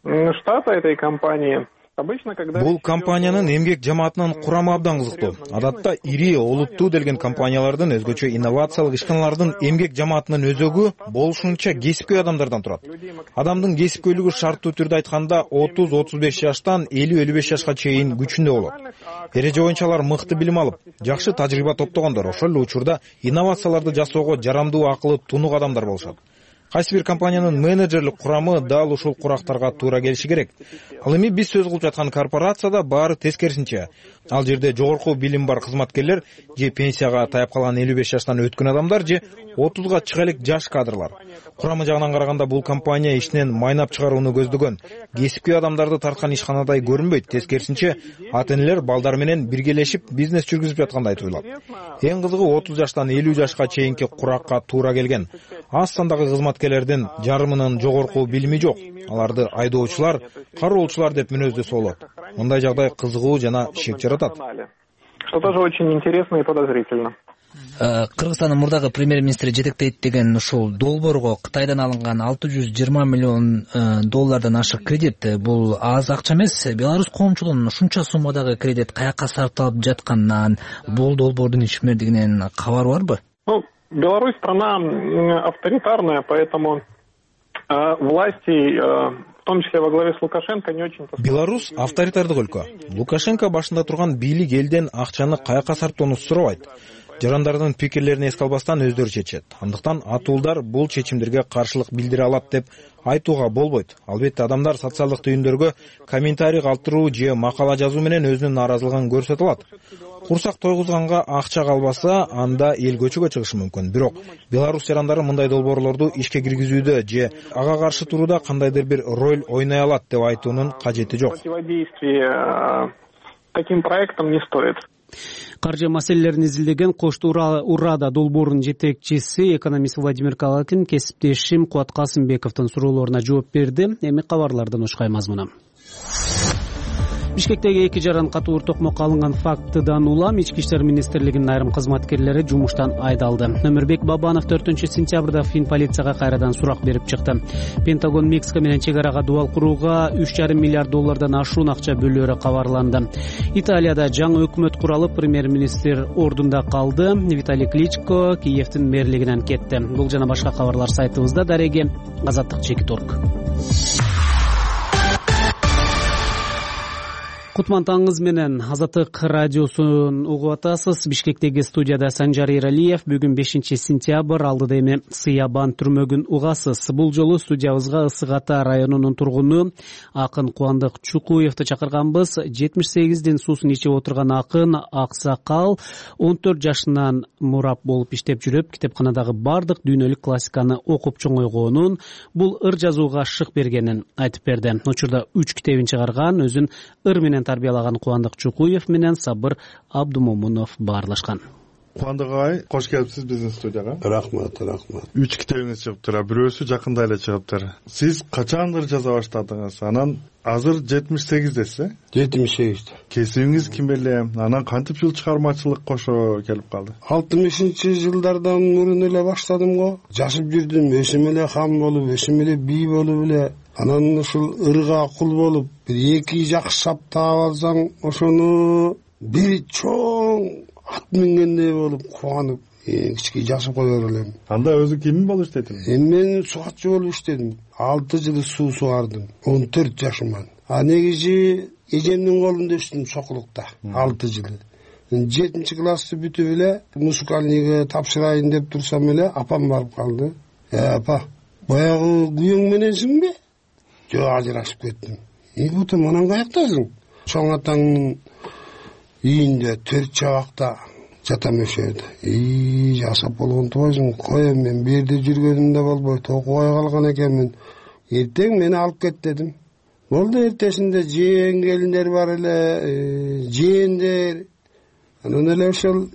штата этой компании.
Бул компаниянын эмгек жамаатынын курамы абдан кызыктуу. Адатта ири олуттуу делген компаниялардын өзгөчө инновациялык ишканалардын эмгек жамаатынын өзөгү болушунча кесипкөй адамдардан турат. Адамдын кесипкөйлүгү шарттуу түрдө айтканда 30-35 жаштан 50-55 жашка чейин күчүндө болот. Эреже боюнча алар мыкты билим алып, жакшы тажрыйба топтогондор, ошол эле учурда инновацияларды жасоого жарамдуу акылы тунук адамдар болушат. Кайсы бир компаниянын менеджерлик курамы дал ушул курактарга туура келиши керек. Ал эми биз сөз кылып жаткан корпорацияда баары тескерисинче. Ал жерде жогорку билим бар кызматкерлер же пенсияга таяп калган 55 жаштан өткөн адамдар же 30га чыга элек жаш кадрлар. Курамы жагынан караганда бул компания ишинен майнап чыгарууну көздөгөн. Кесипкөй адамдарды тарткан ишканадай көрүнбөйт. Тескерисинче, ата-энелер балдар менен биргелешип бизнес жүргүзүп жаткандай туюлат. Эң кызыгы 30 жаштан 50 жашка чейинки куракка туура келген. Аз сандагы кызматкерлердин жарымынын жогорку билими жок. Аларды айдоочулар, кароолчулар деп мүнөздөсө болот. Мындай жагдай кызыгуу жана шек жаратат.
Что тоже очень интересно и подозрительно.
Кыргызстандын мурдагы премьер-министри жетектейт деген ушул долбоорго Кытайдан алынган 620 миллион доллардан ашык кредит бул аз акча эмес. Беларусь коомчулугунун ушунча суммадагы кредит каяка сарпталып жатканынан, бул долбоордун ишмердигинен кабары барбы?
Беларусь страна авторитарная, поэтому власти, в том числе во главе с Лукашенко, не очень...
Беларусь авторитардык өлкө. Лукашенко башында турган бийлик элден акчаны каяка сарптоону сурабайт. Жарандардын пикирлерин эске албастан өздөрү чечет. Андыктан атуулдар бул чечимдерге каршылык билдире алат деп айтууга болбойт. Албетте адамдар социалдык түйүндөргө комментарий калтыруу же макала жазуу менен өзүнүн нааразылыгын көрсөтө алат. Курсак тойгузганга акча калбаса, анда эл көчөгө чыгышы мүмкүн. Бирок Беларусь жарандары мындай долбоорлорду ишке киргизүүдө же ага каршы турууда кандайдыр бир роль ойной алат деп айтуунун кажети жок.
Противодействие таким проектам не стоит.
Каржы маселелерин изилдеген Кош Урада долбоорунун жетекчиси экономист Владимир Калакин кесиптешим Кубат Касымбековдун суроолоруна жооп берди. Эми кабарлардан ушкай мазмуна. Бишкектеги 2 жаран катуу токмокко алынган фактыдан улам Ички иштер министрлигинин айрым кызматкерлери жумуштан айдалды. Өмүрбек Бабанов 4-сентябрда Фин полицияга кайрадан сурак берип чыкты. Пентагон Мексика менен чек арага дубал курууга 3,5 миллиард доллардан ашуун акча бөлөөрү кабарланды. Италияда жаңы өкмөт куралып, премьер-министр ордунда калды. Виталий Кличко Киевдин мэрлигинен кетти. Бул жана башка кабарлар сайтыбызда. Дареги Азаттык Чекиторг. Кутман таңыңыз менен Азаттык радиосун угуп атасыз. Бишкектеги студияда Санжар Иралиев. Бүгүн 5-сентябрь, алдыда эми Сыябан түрмөгүн угасыз. Бул жолу студиябызга Ысык Ата районунун тургуну Акын Кубандык Чукуевди чакырганбыз. 78дин суусун ичип отурган акын аксакал 14 жашынан мурап болуп иштеп жүрүп, китепканадагы бардык дүйнөлүк классиканы окуп чоңойгонун, бул ыр жазууга шык бергенин айтып берди. Учурда 3 китебин чыгарган, өзүн ыр менен тарбиялаган Кубандык Чукуев менен Сабыр Абдумомунов баарлашкан.
Кубандык агай, кош келипсиз биздин студияга.
Рахмат.
3 китебиңиз чыгыптыр, бирөөсү жакында эле чыгыптыр. Сиз качандыр жаза баштадыңыз? Анан азыр 78десиз, 78. Кесибиңиз ким эле? Анан кантип жыл чыгармачылык кошо келип калды?
60-жылдардан мурун эле баштадым го. Жашып жүрдүм, өсүм эле хан болуп, өсүм эле бий болуп эле. Анан ушул ырга кул болуп, бир 2 жакшы сап таап алсаң, ошону бир чоң ат мингендей болуп кубанып, кичке жашып коер элем.
Анда өзү ким болуп иштедиң?
Мен сугатчы болуп иштедим. 6 жыл суу сугардым, 14 жашыман. Негизи эжемдин колунда өстүм Сокулукта 6 жыл. 7-классты бүтүп эле музыкальныйга тапшырайын деп турсам эле апам барып калды. Апа, баягы күйөөң мененсиңби? Жок, ажырашып кеттим. Бутум, анан каяктасың? Чоң атаңдын үйүндө 4 чабакта жатам ошол жерде. Жасап болгон тубайсың, коем, мен бу жерде жүргөнүмдө болбойт, окубай калган экенмин. Эртең мени алып кет дедим. Болду, эртесинде жээң келиндер бар эле, жээндер. Анан эле ошол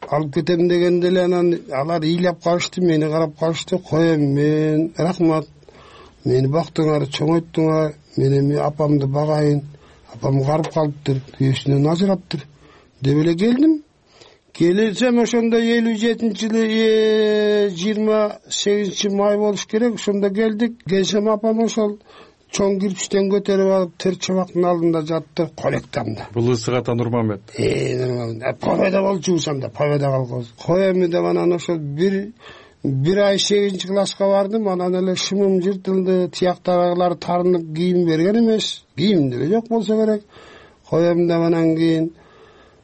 алып кетем дегенде эле анан алар ыйлап калышты, мени карап калышты. Коем, мен рахмат. Мени бактыңар, чоңойттуңар, мен эми апамды багайын. Апам карып калыптыр, күйөөсүнөн ажыраптыр деп эле келдим. Келсем ошондо 57-жылы 28 май болуш керек, ошондо келдик. Келсем апам ошол чоң кирпичтен көтөрүп алып 4 чабактын алдында жатты, колектамда.
Бул Ысык Ата Нурмамбет.
Победа болчубусам да, победа калгыз. Коем деп анан ошол бир ай 8-класска бардым, анан эле шымым жыртылды, тияктагылар тарынып кийим берген эмес. Кийим деле жок болсо керек. Коем деп анан кийин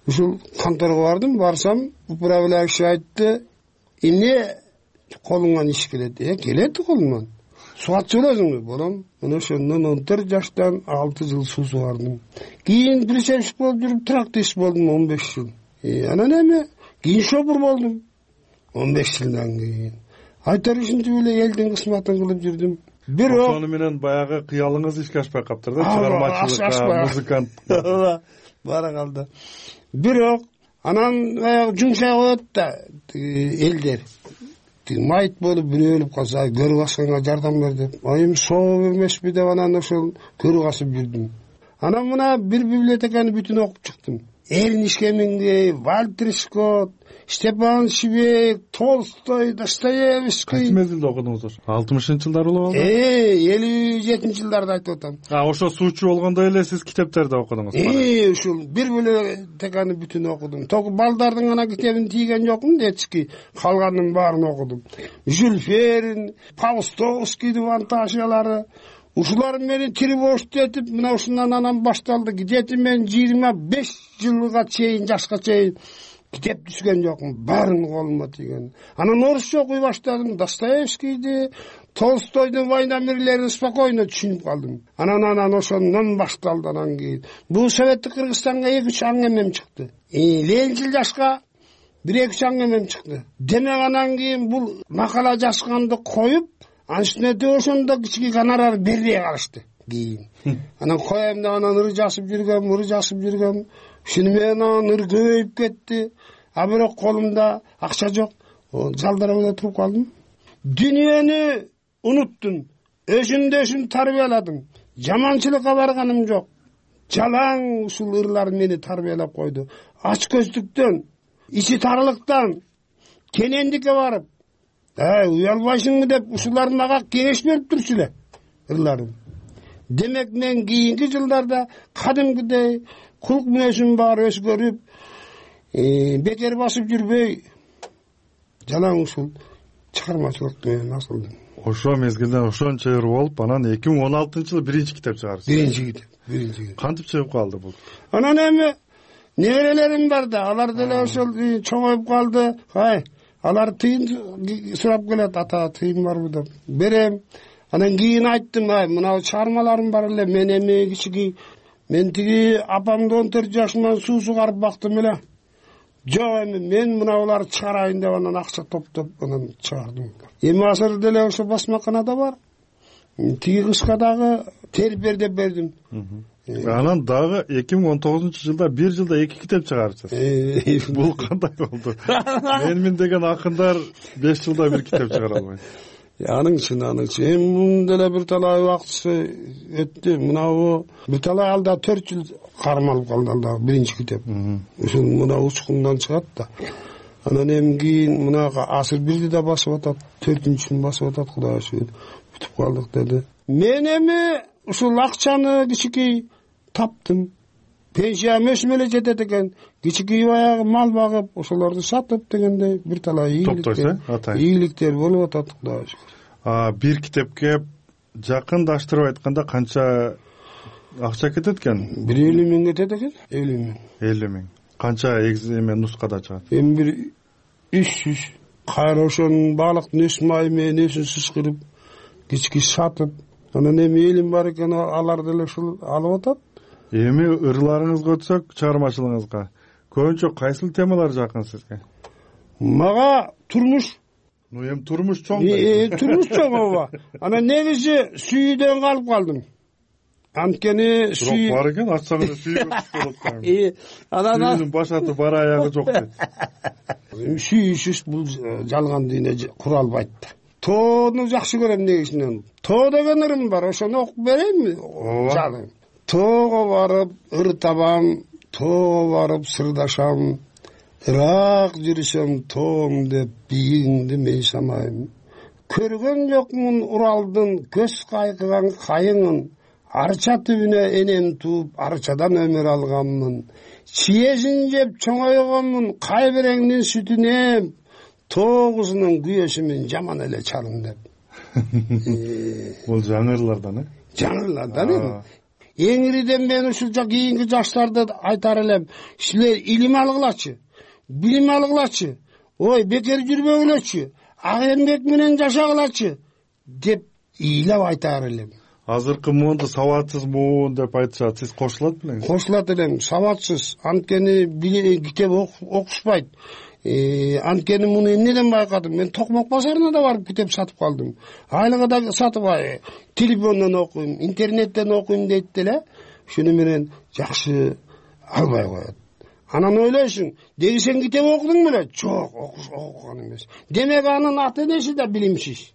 ушул конторго бардым, барсам, управляющий айтты, эмне колуңан иш келет. Келет колуман. Суатчы болосуңбу? Болом. Мына ошондон 14 жаштан 6 жыл суу сугардым. Кийин причепщик болуп жүрүп тракторист болдум 15 жыл. Анан эми кийин шопур болдум 15 жылдан кийин. Айтар ушинтип эле элдин кызматын кылып жүрдүм. Бирок
ошону менен баягы кыялыңыз ишке ашпай каптыр да, чыгармачылыкка, музыкант.
Бара калды. Бирок анан баягы жумшай коет да элдер. Майт болуп бирөө өлүп калса, көрү басканга жардам бер деп. Эми соо эмеспи деп анан ошол көрү басып жүрдүм. Анан мына бир библиотеканы бүтүн окуп чыктым. Эрниш Хемингвей, Вальтер Скотт, Степан Швейк, Толстой, Достоевский.
Кайсы мезгилде окудуңуз ошо? 60-жылдар болобу?
57-жылдарда айтып атам.
Ошо суучу болгондо эле сиз китептерди окудуңуз?
Ушул бир библиотеканы бүтүн окудум. Току балдардын ана китебин тийген жокмун, детский. Калганын баарын окудум. Жюль Верн, Паустовскийдин фантазиялары. Ушулар мени тревожт этип, мына ушундан анан башталды. Где-то мен 25 жылга чейин, жашка чейин китеп түшкөн жокмун. Баарын колума тийген. Анан орусча окуй баштадым. Достоевскийди, Толстойдун «Война мирлерин» спокойно түшүнүп калдым. Анан ошондон башталды анан кийин. Бул Советтик Кыргызстанга 2-3 аңгемем чыкты. Ленчил жашка 1-2 аңгемем чыкты. Демек анан кийин бул макала жазганды коюп, анчтене ошондо кичине гонорар бербей калышты кийин. Анан коем деп анан ыр жазып жүргөм. Ушуну менен анан ыр көбөйүп кетти. А бирок колумда акча жок. Жалдарап эле туруп калдым. Дүйнөнү унуттум. Өзүмдө тарбияладым. Жаманчылыкка барганым жок. Жалаң ушул ырлар мени тарбиялап койду. Ач көздүктөн, ичи тарылыктан, кенендикке барып, уялбайсыңбы деп ушулар мага кеңеш берип турчу эле ырларым. Демек мен кийинки жылдарда кадимкидей кулк мүнөзүм бар өзгөрүп, бекер басып жүрбөй, жалаң ушул чыгармачылык менен асылдым.
Ошо мезгилде ошончо ыр болуп, анан 2016-жылы биринчи китеп чыгарсыз.
Биринчи китеп.
Кантип чыгып калды бул?
Анан эми неберелерим бар да, алар деле ошол чоңоюп калды. Алар тыйын сурап келет, ата тыйын барбы деп. Берем. Анан кийин айттым, мына чыгармаларым бар эле, мен эми кичиги, мен тиги апамды 14 жашыман суу сугарып бактым эле. Жок, эми мен мына уларды чыгарайын деп анан акча топтоп анан чыгардым. Эми азыр деле ошо басмаканада бар. Тиги кышка дагы тербер деп бердим.
Анан дагы 2019-жылда 1 жылда 2 китеп чыгарыпсыз. Бул кандай болду? Менмин деген акындар 5 жылда 1 китеп чыгара албайт.
Аның үчүн. Эми мунун деле бир талай убакыты өттү. Мынабу бир талай алда 4 жыл кармалып калды алда биринчи китеп. Ушул мына учкундан чыгат да. Анан эми кийин мунага асыр бирди да басып атат, 4-чүн басып атат, Кудайга шүгүр. Бүтүп калдык деди. Мен эми ушул акчаны кичикей таптым. Пенсиям өсүп эле жетет экен. Кичикей баягы мал багып, ошолорду сатып дегендей бир талай ийгиликтер болуп атат, Кудайга шүгүр.
Бир китепке жакындаштырып айтканда канча акча кетет экен?
150 миң кетет экен.
50 миң. Канча эме нускада чыгат?
Эми бир 300. Кайра ошонун баалыктын өс майы менен өсүн сыскырып, кички сатып, анан эми элим бар экен, алар деле ушул алып атат.
Эми ырларыңызга өтсөк, чыгармачылыгыңызга көбүнчө кайсыл темалар жакын сизге?
Мага турмуш.
Эми турмуш чоң.
Турмуш чоң ооба. Анан негизи сүйүүдөн калып калдым. Анткени сүй
бар экен, ачсаңыз сүй болот. Анан баш аты бар аягы жок дейт.
Сүйүшүш бул жалган дүйнө кура албайт да. Тоону жакшы көрөм негизинен. Тоо деген ырым бар, ошону окуп берейинби? Жалым. Тоого барып ыр табам, тоого барып сырдашам, ырак жүрүшөм тоом деп бийигиңди мен самайм. Көргөн жокмун Уралдын көз кайкыган кайыңын, арча түбүнө энем тууп, арчадан өмүр алганмын. Чиесин жеп чоңойгонмун, кайбиреңдин сүтүнө, тоо кызынын күйөөсүмүн жаман эле чалым деп.
Бул жаңырлардан,
Жаңырлардан. Эңириден мен ушул кийинки жаштарды айтар элем, силер илим алгылачы, билим алгылачы. Ой, бекер жүрбөгүлөчү. ак эмгек менен жашагылачы деп ыйлап айтаар элем.
Азыркы муунду сабатсыз муун деп айтышат. Сиз кошулат белеңиз?
Кошулат элем. Сабатсыз. Анткени китеп окушпайт. Анткени муну эмнеден байкадым? Мен Токмок базарына да барып китеп сатып калдым. Айлыгы да сатып телефондон окуйм, интернеттен окуйм дейт деле. Шуну менен жакшы албай коет. Анан ойлойсуң, деги сен китеп окудуң беле? Жок, окуган эмес. Демек анын ата-энеси да билимсиз.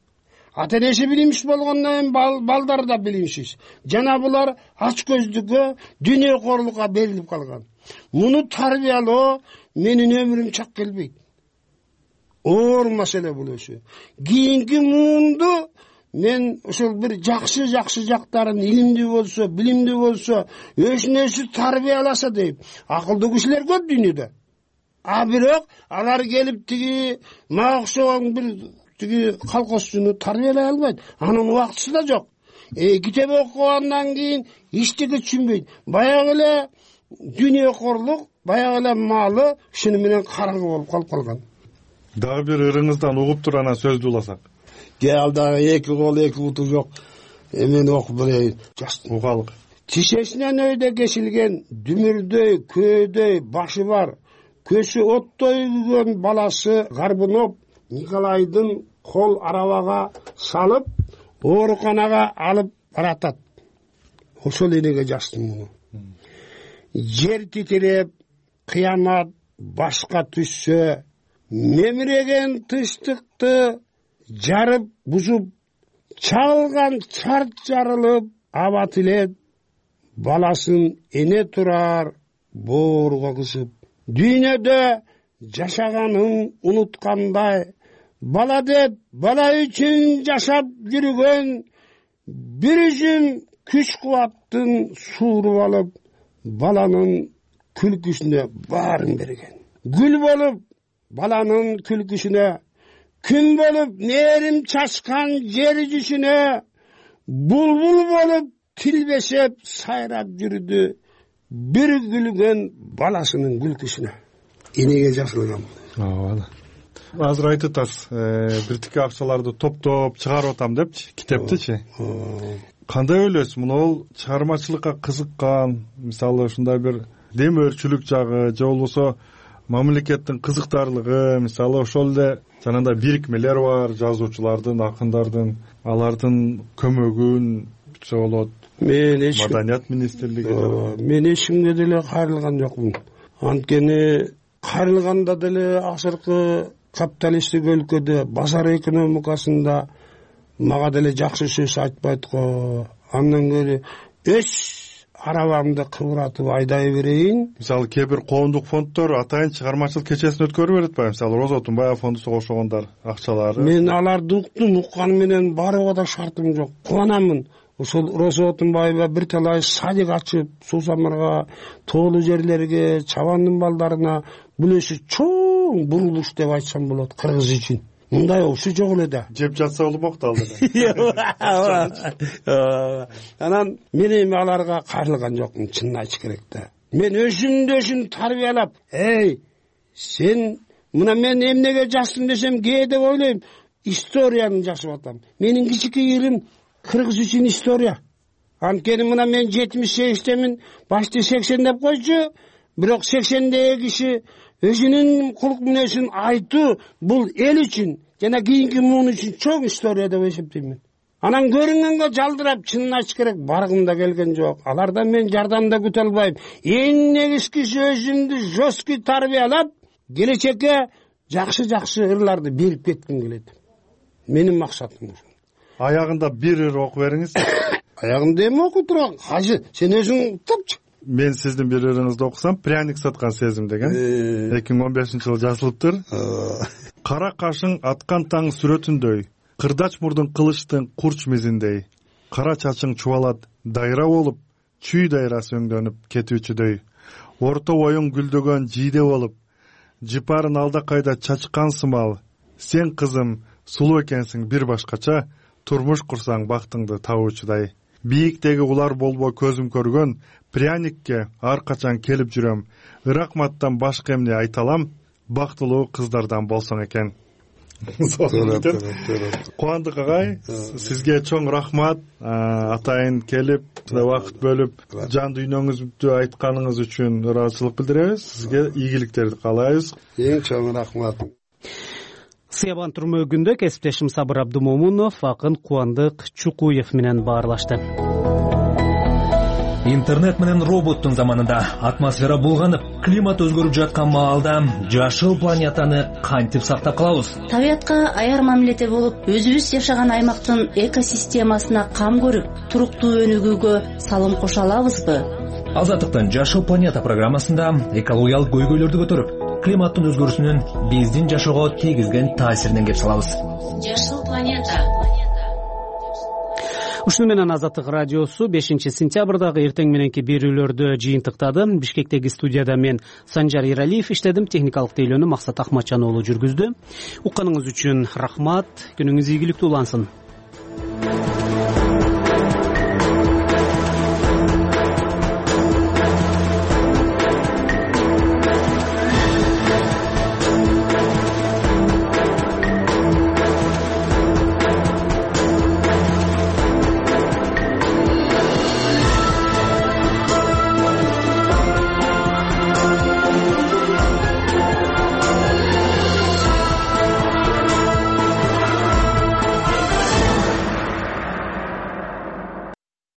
Ата-энеси билимсиз болгондон кийин балдары да билимсиз. Жана булар ач көздүккө, дүйнө корлукка берилип калган. Муну тарбиялоо менин өмүрүм чак келбейт. Оор маселе бул өзү. Кийинки муунду мен ошол бир жакшы жактарын илимдүү болсо, билимдүү болсо, өзүн өзү тарбияласа дейм. Акылдуу кишилер көп дүйнөдө. Бирок алар келип тиги мага окшогон бир тиги колхозчуну тарбиялай албайт. Анын убактысы да жок. Китеп окугандан кийин эчтеке түшүнбөйт. Баягы эле дүйнө корлук, баягы эле малы шуну менен караңгы болуп калып калган.
Дагы бир ырыңыздан угуп туруп анан сөздү уласак.
Ал дагы эки кол эки буту жок. Мен окуп берейин.
Угалык.
Тишесинен өйдө кесилген, дүмүрдөй, көөдөй башы бар, көзү оттой күйгөн баласы Гарбунов Николайдын кол арабага салып, ооруканага алып баратат. Ошол энеге жаздым муну. Жер титиреп, кыямат башка түшсө, мемиреген тынчтыкты жарып бузуп, чалган чарт жарылып, аба тилет, баласын эне турар бооруга кысып. Дүйнөдө жашаганын унуткандай, бала деп бала үчүн жашап жүргөн, бир үзүм күч кубаттын сууруп алып, баланын күлкүсүнө баарын берген. Гүл болуп баланын күлкүсүнө, күн болуп нээрим чачкан жер жүзүнө, булбул болуп тилбесеп сайрап жүрдү, бир күлгөн баласынын күлкүсүнө. Энеге жазылган.
Азыр айтып атасыз, биртике акчаларды топтоп чыгарып атам депчи, китептичи. Кандай ойлойсуз? Муну чыгармачылыкка кызыккан, мисалы ушундай бир демөөрчүлүк жагы же болбосо мамлекеттин кызыктарлыгы, мисалы ошол эле жанагындай бирикмелер бар, жазуучулардын, акындардын, алардын көмөгүн күтсө болот. Маданият министрлиги.
Мен эч кимге деле кайрылган жокмун. Анткени кайрылганда деле азыркы капиталисттик өлкөдө базар экономикасында мага деле жакшы сөз айтпайт го. Андан кери өз арабамды кыбыратып айдай берейин.
Мисалы кээ бир коомдук фонддор атайын чыгармачылык кечесин өткөрүп берет ба? Мисалы Роза Тунбаева фондусуга кошогондар акчалары.
Мен аларды уктум менен барууга да шартым жок. Кубанамын. Ошол Роза Тунбаева бир талай садик ачып, суу самырга, тоолуу жерлерге, чабандын балдарына бул өзү чоң бурулуш деп айтсам болот кыргыз үчүн. Мындай ошо жок эле да.
Жеп жатса болмок да
ал. Анан мен эми аларга кайрылган жокмун, чынын айтыш керек да. Мен өзүм тарбиялап, сен мына мен эмнеге жаздым десем, кээ деп ойлойм, историяны жазып атам. Менин кичике илим кыргыз үчүн история. Анткени мына мен 78-темин, башты 80 деп койчу, бирок 80деги киши өзүнүн кулк мүнөзүн айтуу бул эл үчүн жана кийинки муун үчүн чоң история деп эсептейм. Анан көрүнгөнгө жалдырап, чынын айтыш керек, баргым да келген жок. Алардан мен жардам да күтө албайм. Эң негизгиси өзүмдү жестко тарбиялап, келечекке жакшы ырларды берип кетким келет. Менин максатым ушул.
Аягында бир ыр окуп бериңиз.
Аягында эми окуп турган, кажы, сен өзүң тапчы.
Мен сиздин бир ырыңызды окусам, пряник саткан сезим деген. 2015-жылы жазылыптыр. Кара кашың аткан таң сүрөтүндөй, кырдач мурдун кылычтын курч мизиндей, кара чачың чубалат дайра болуп, чүй дайрасы өңдөнүп кетүүчүдөй, орто боюң гүлдөгөн жийде болуп, жыпарын алда кайда чачкан сымал, сен кызым сулуу экенсиң бир башкача, турмуш курсаң бактыңды табуучудай. Бийиктеги улар болбой көзүм көргөн, пряникке ар качан келип жүрөм, ыракматтан башка эмне айталам, бактылуу кыздардан болсоң экен. Кубандык агай, сизге чоң рахмат. Атайын келип, убакыт бөлүп, жан дүйнөңүздү айтканыңыз үчүн ыраазычылык билдиребиз. Сизге ийгиликтерди каалайбыз.
Эң чоң рахмат.
Сыябан турмөгүндө кесиптешим Сабыр Абдумомунов акын Кубандык Чукуев менен баарлашты.
Интернет менен роботтун заманында атмосфера булганып, климат өзгөрүп жаткан маалда жашыл планетаны кантип сактап калабыз?
Табиятка аяр мамиледе болуп, өзүбүз жашаган аймактын экосистемасына кам көрүп, туруктуу өнүгүүгө салым кошо алабызбы?
Азаттыктын Жашыл планета программасында экологиялык көйгөйлөрдү көтөрүп, климаттын өзгөрүүсүнүн биздин жашоого тийгизген таасиринен кеп салабыз.
Жашыл планета.
Ушуну менен Азаттык радиосу 5-сентябрдагы эртең мененки берүүлөрдү жыйынтыктады. Бишкектеги студияда мен Санжар Иралиев иштедим, техникалык тейлөөнү Максат Ахматжан уулу жүргүздү. Укканыңыз үчүн рахмат, күнүңүз ийгиликтүү улансын.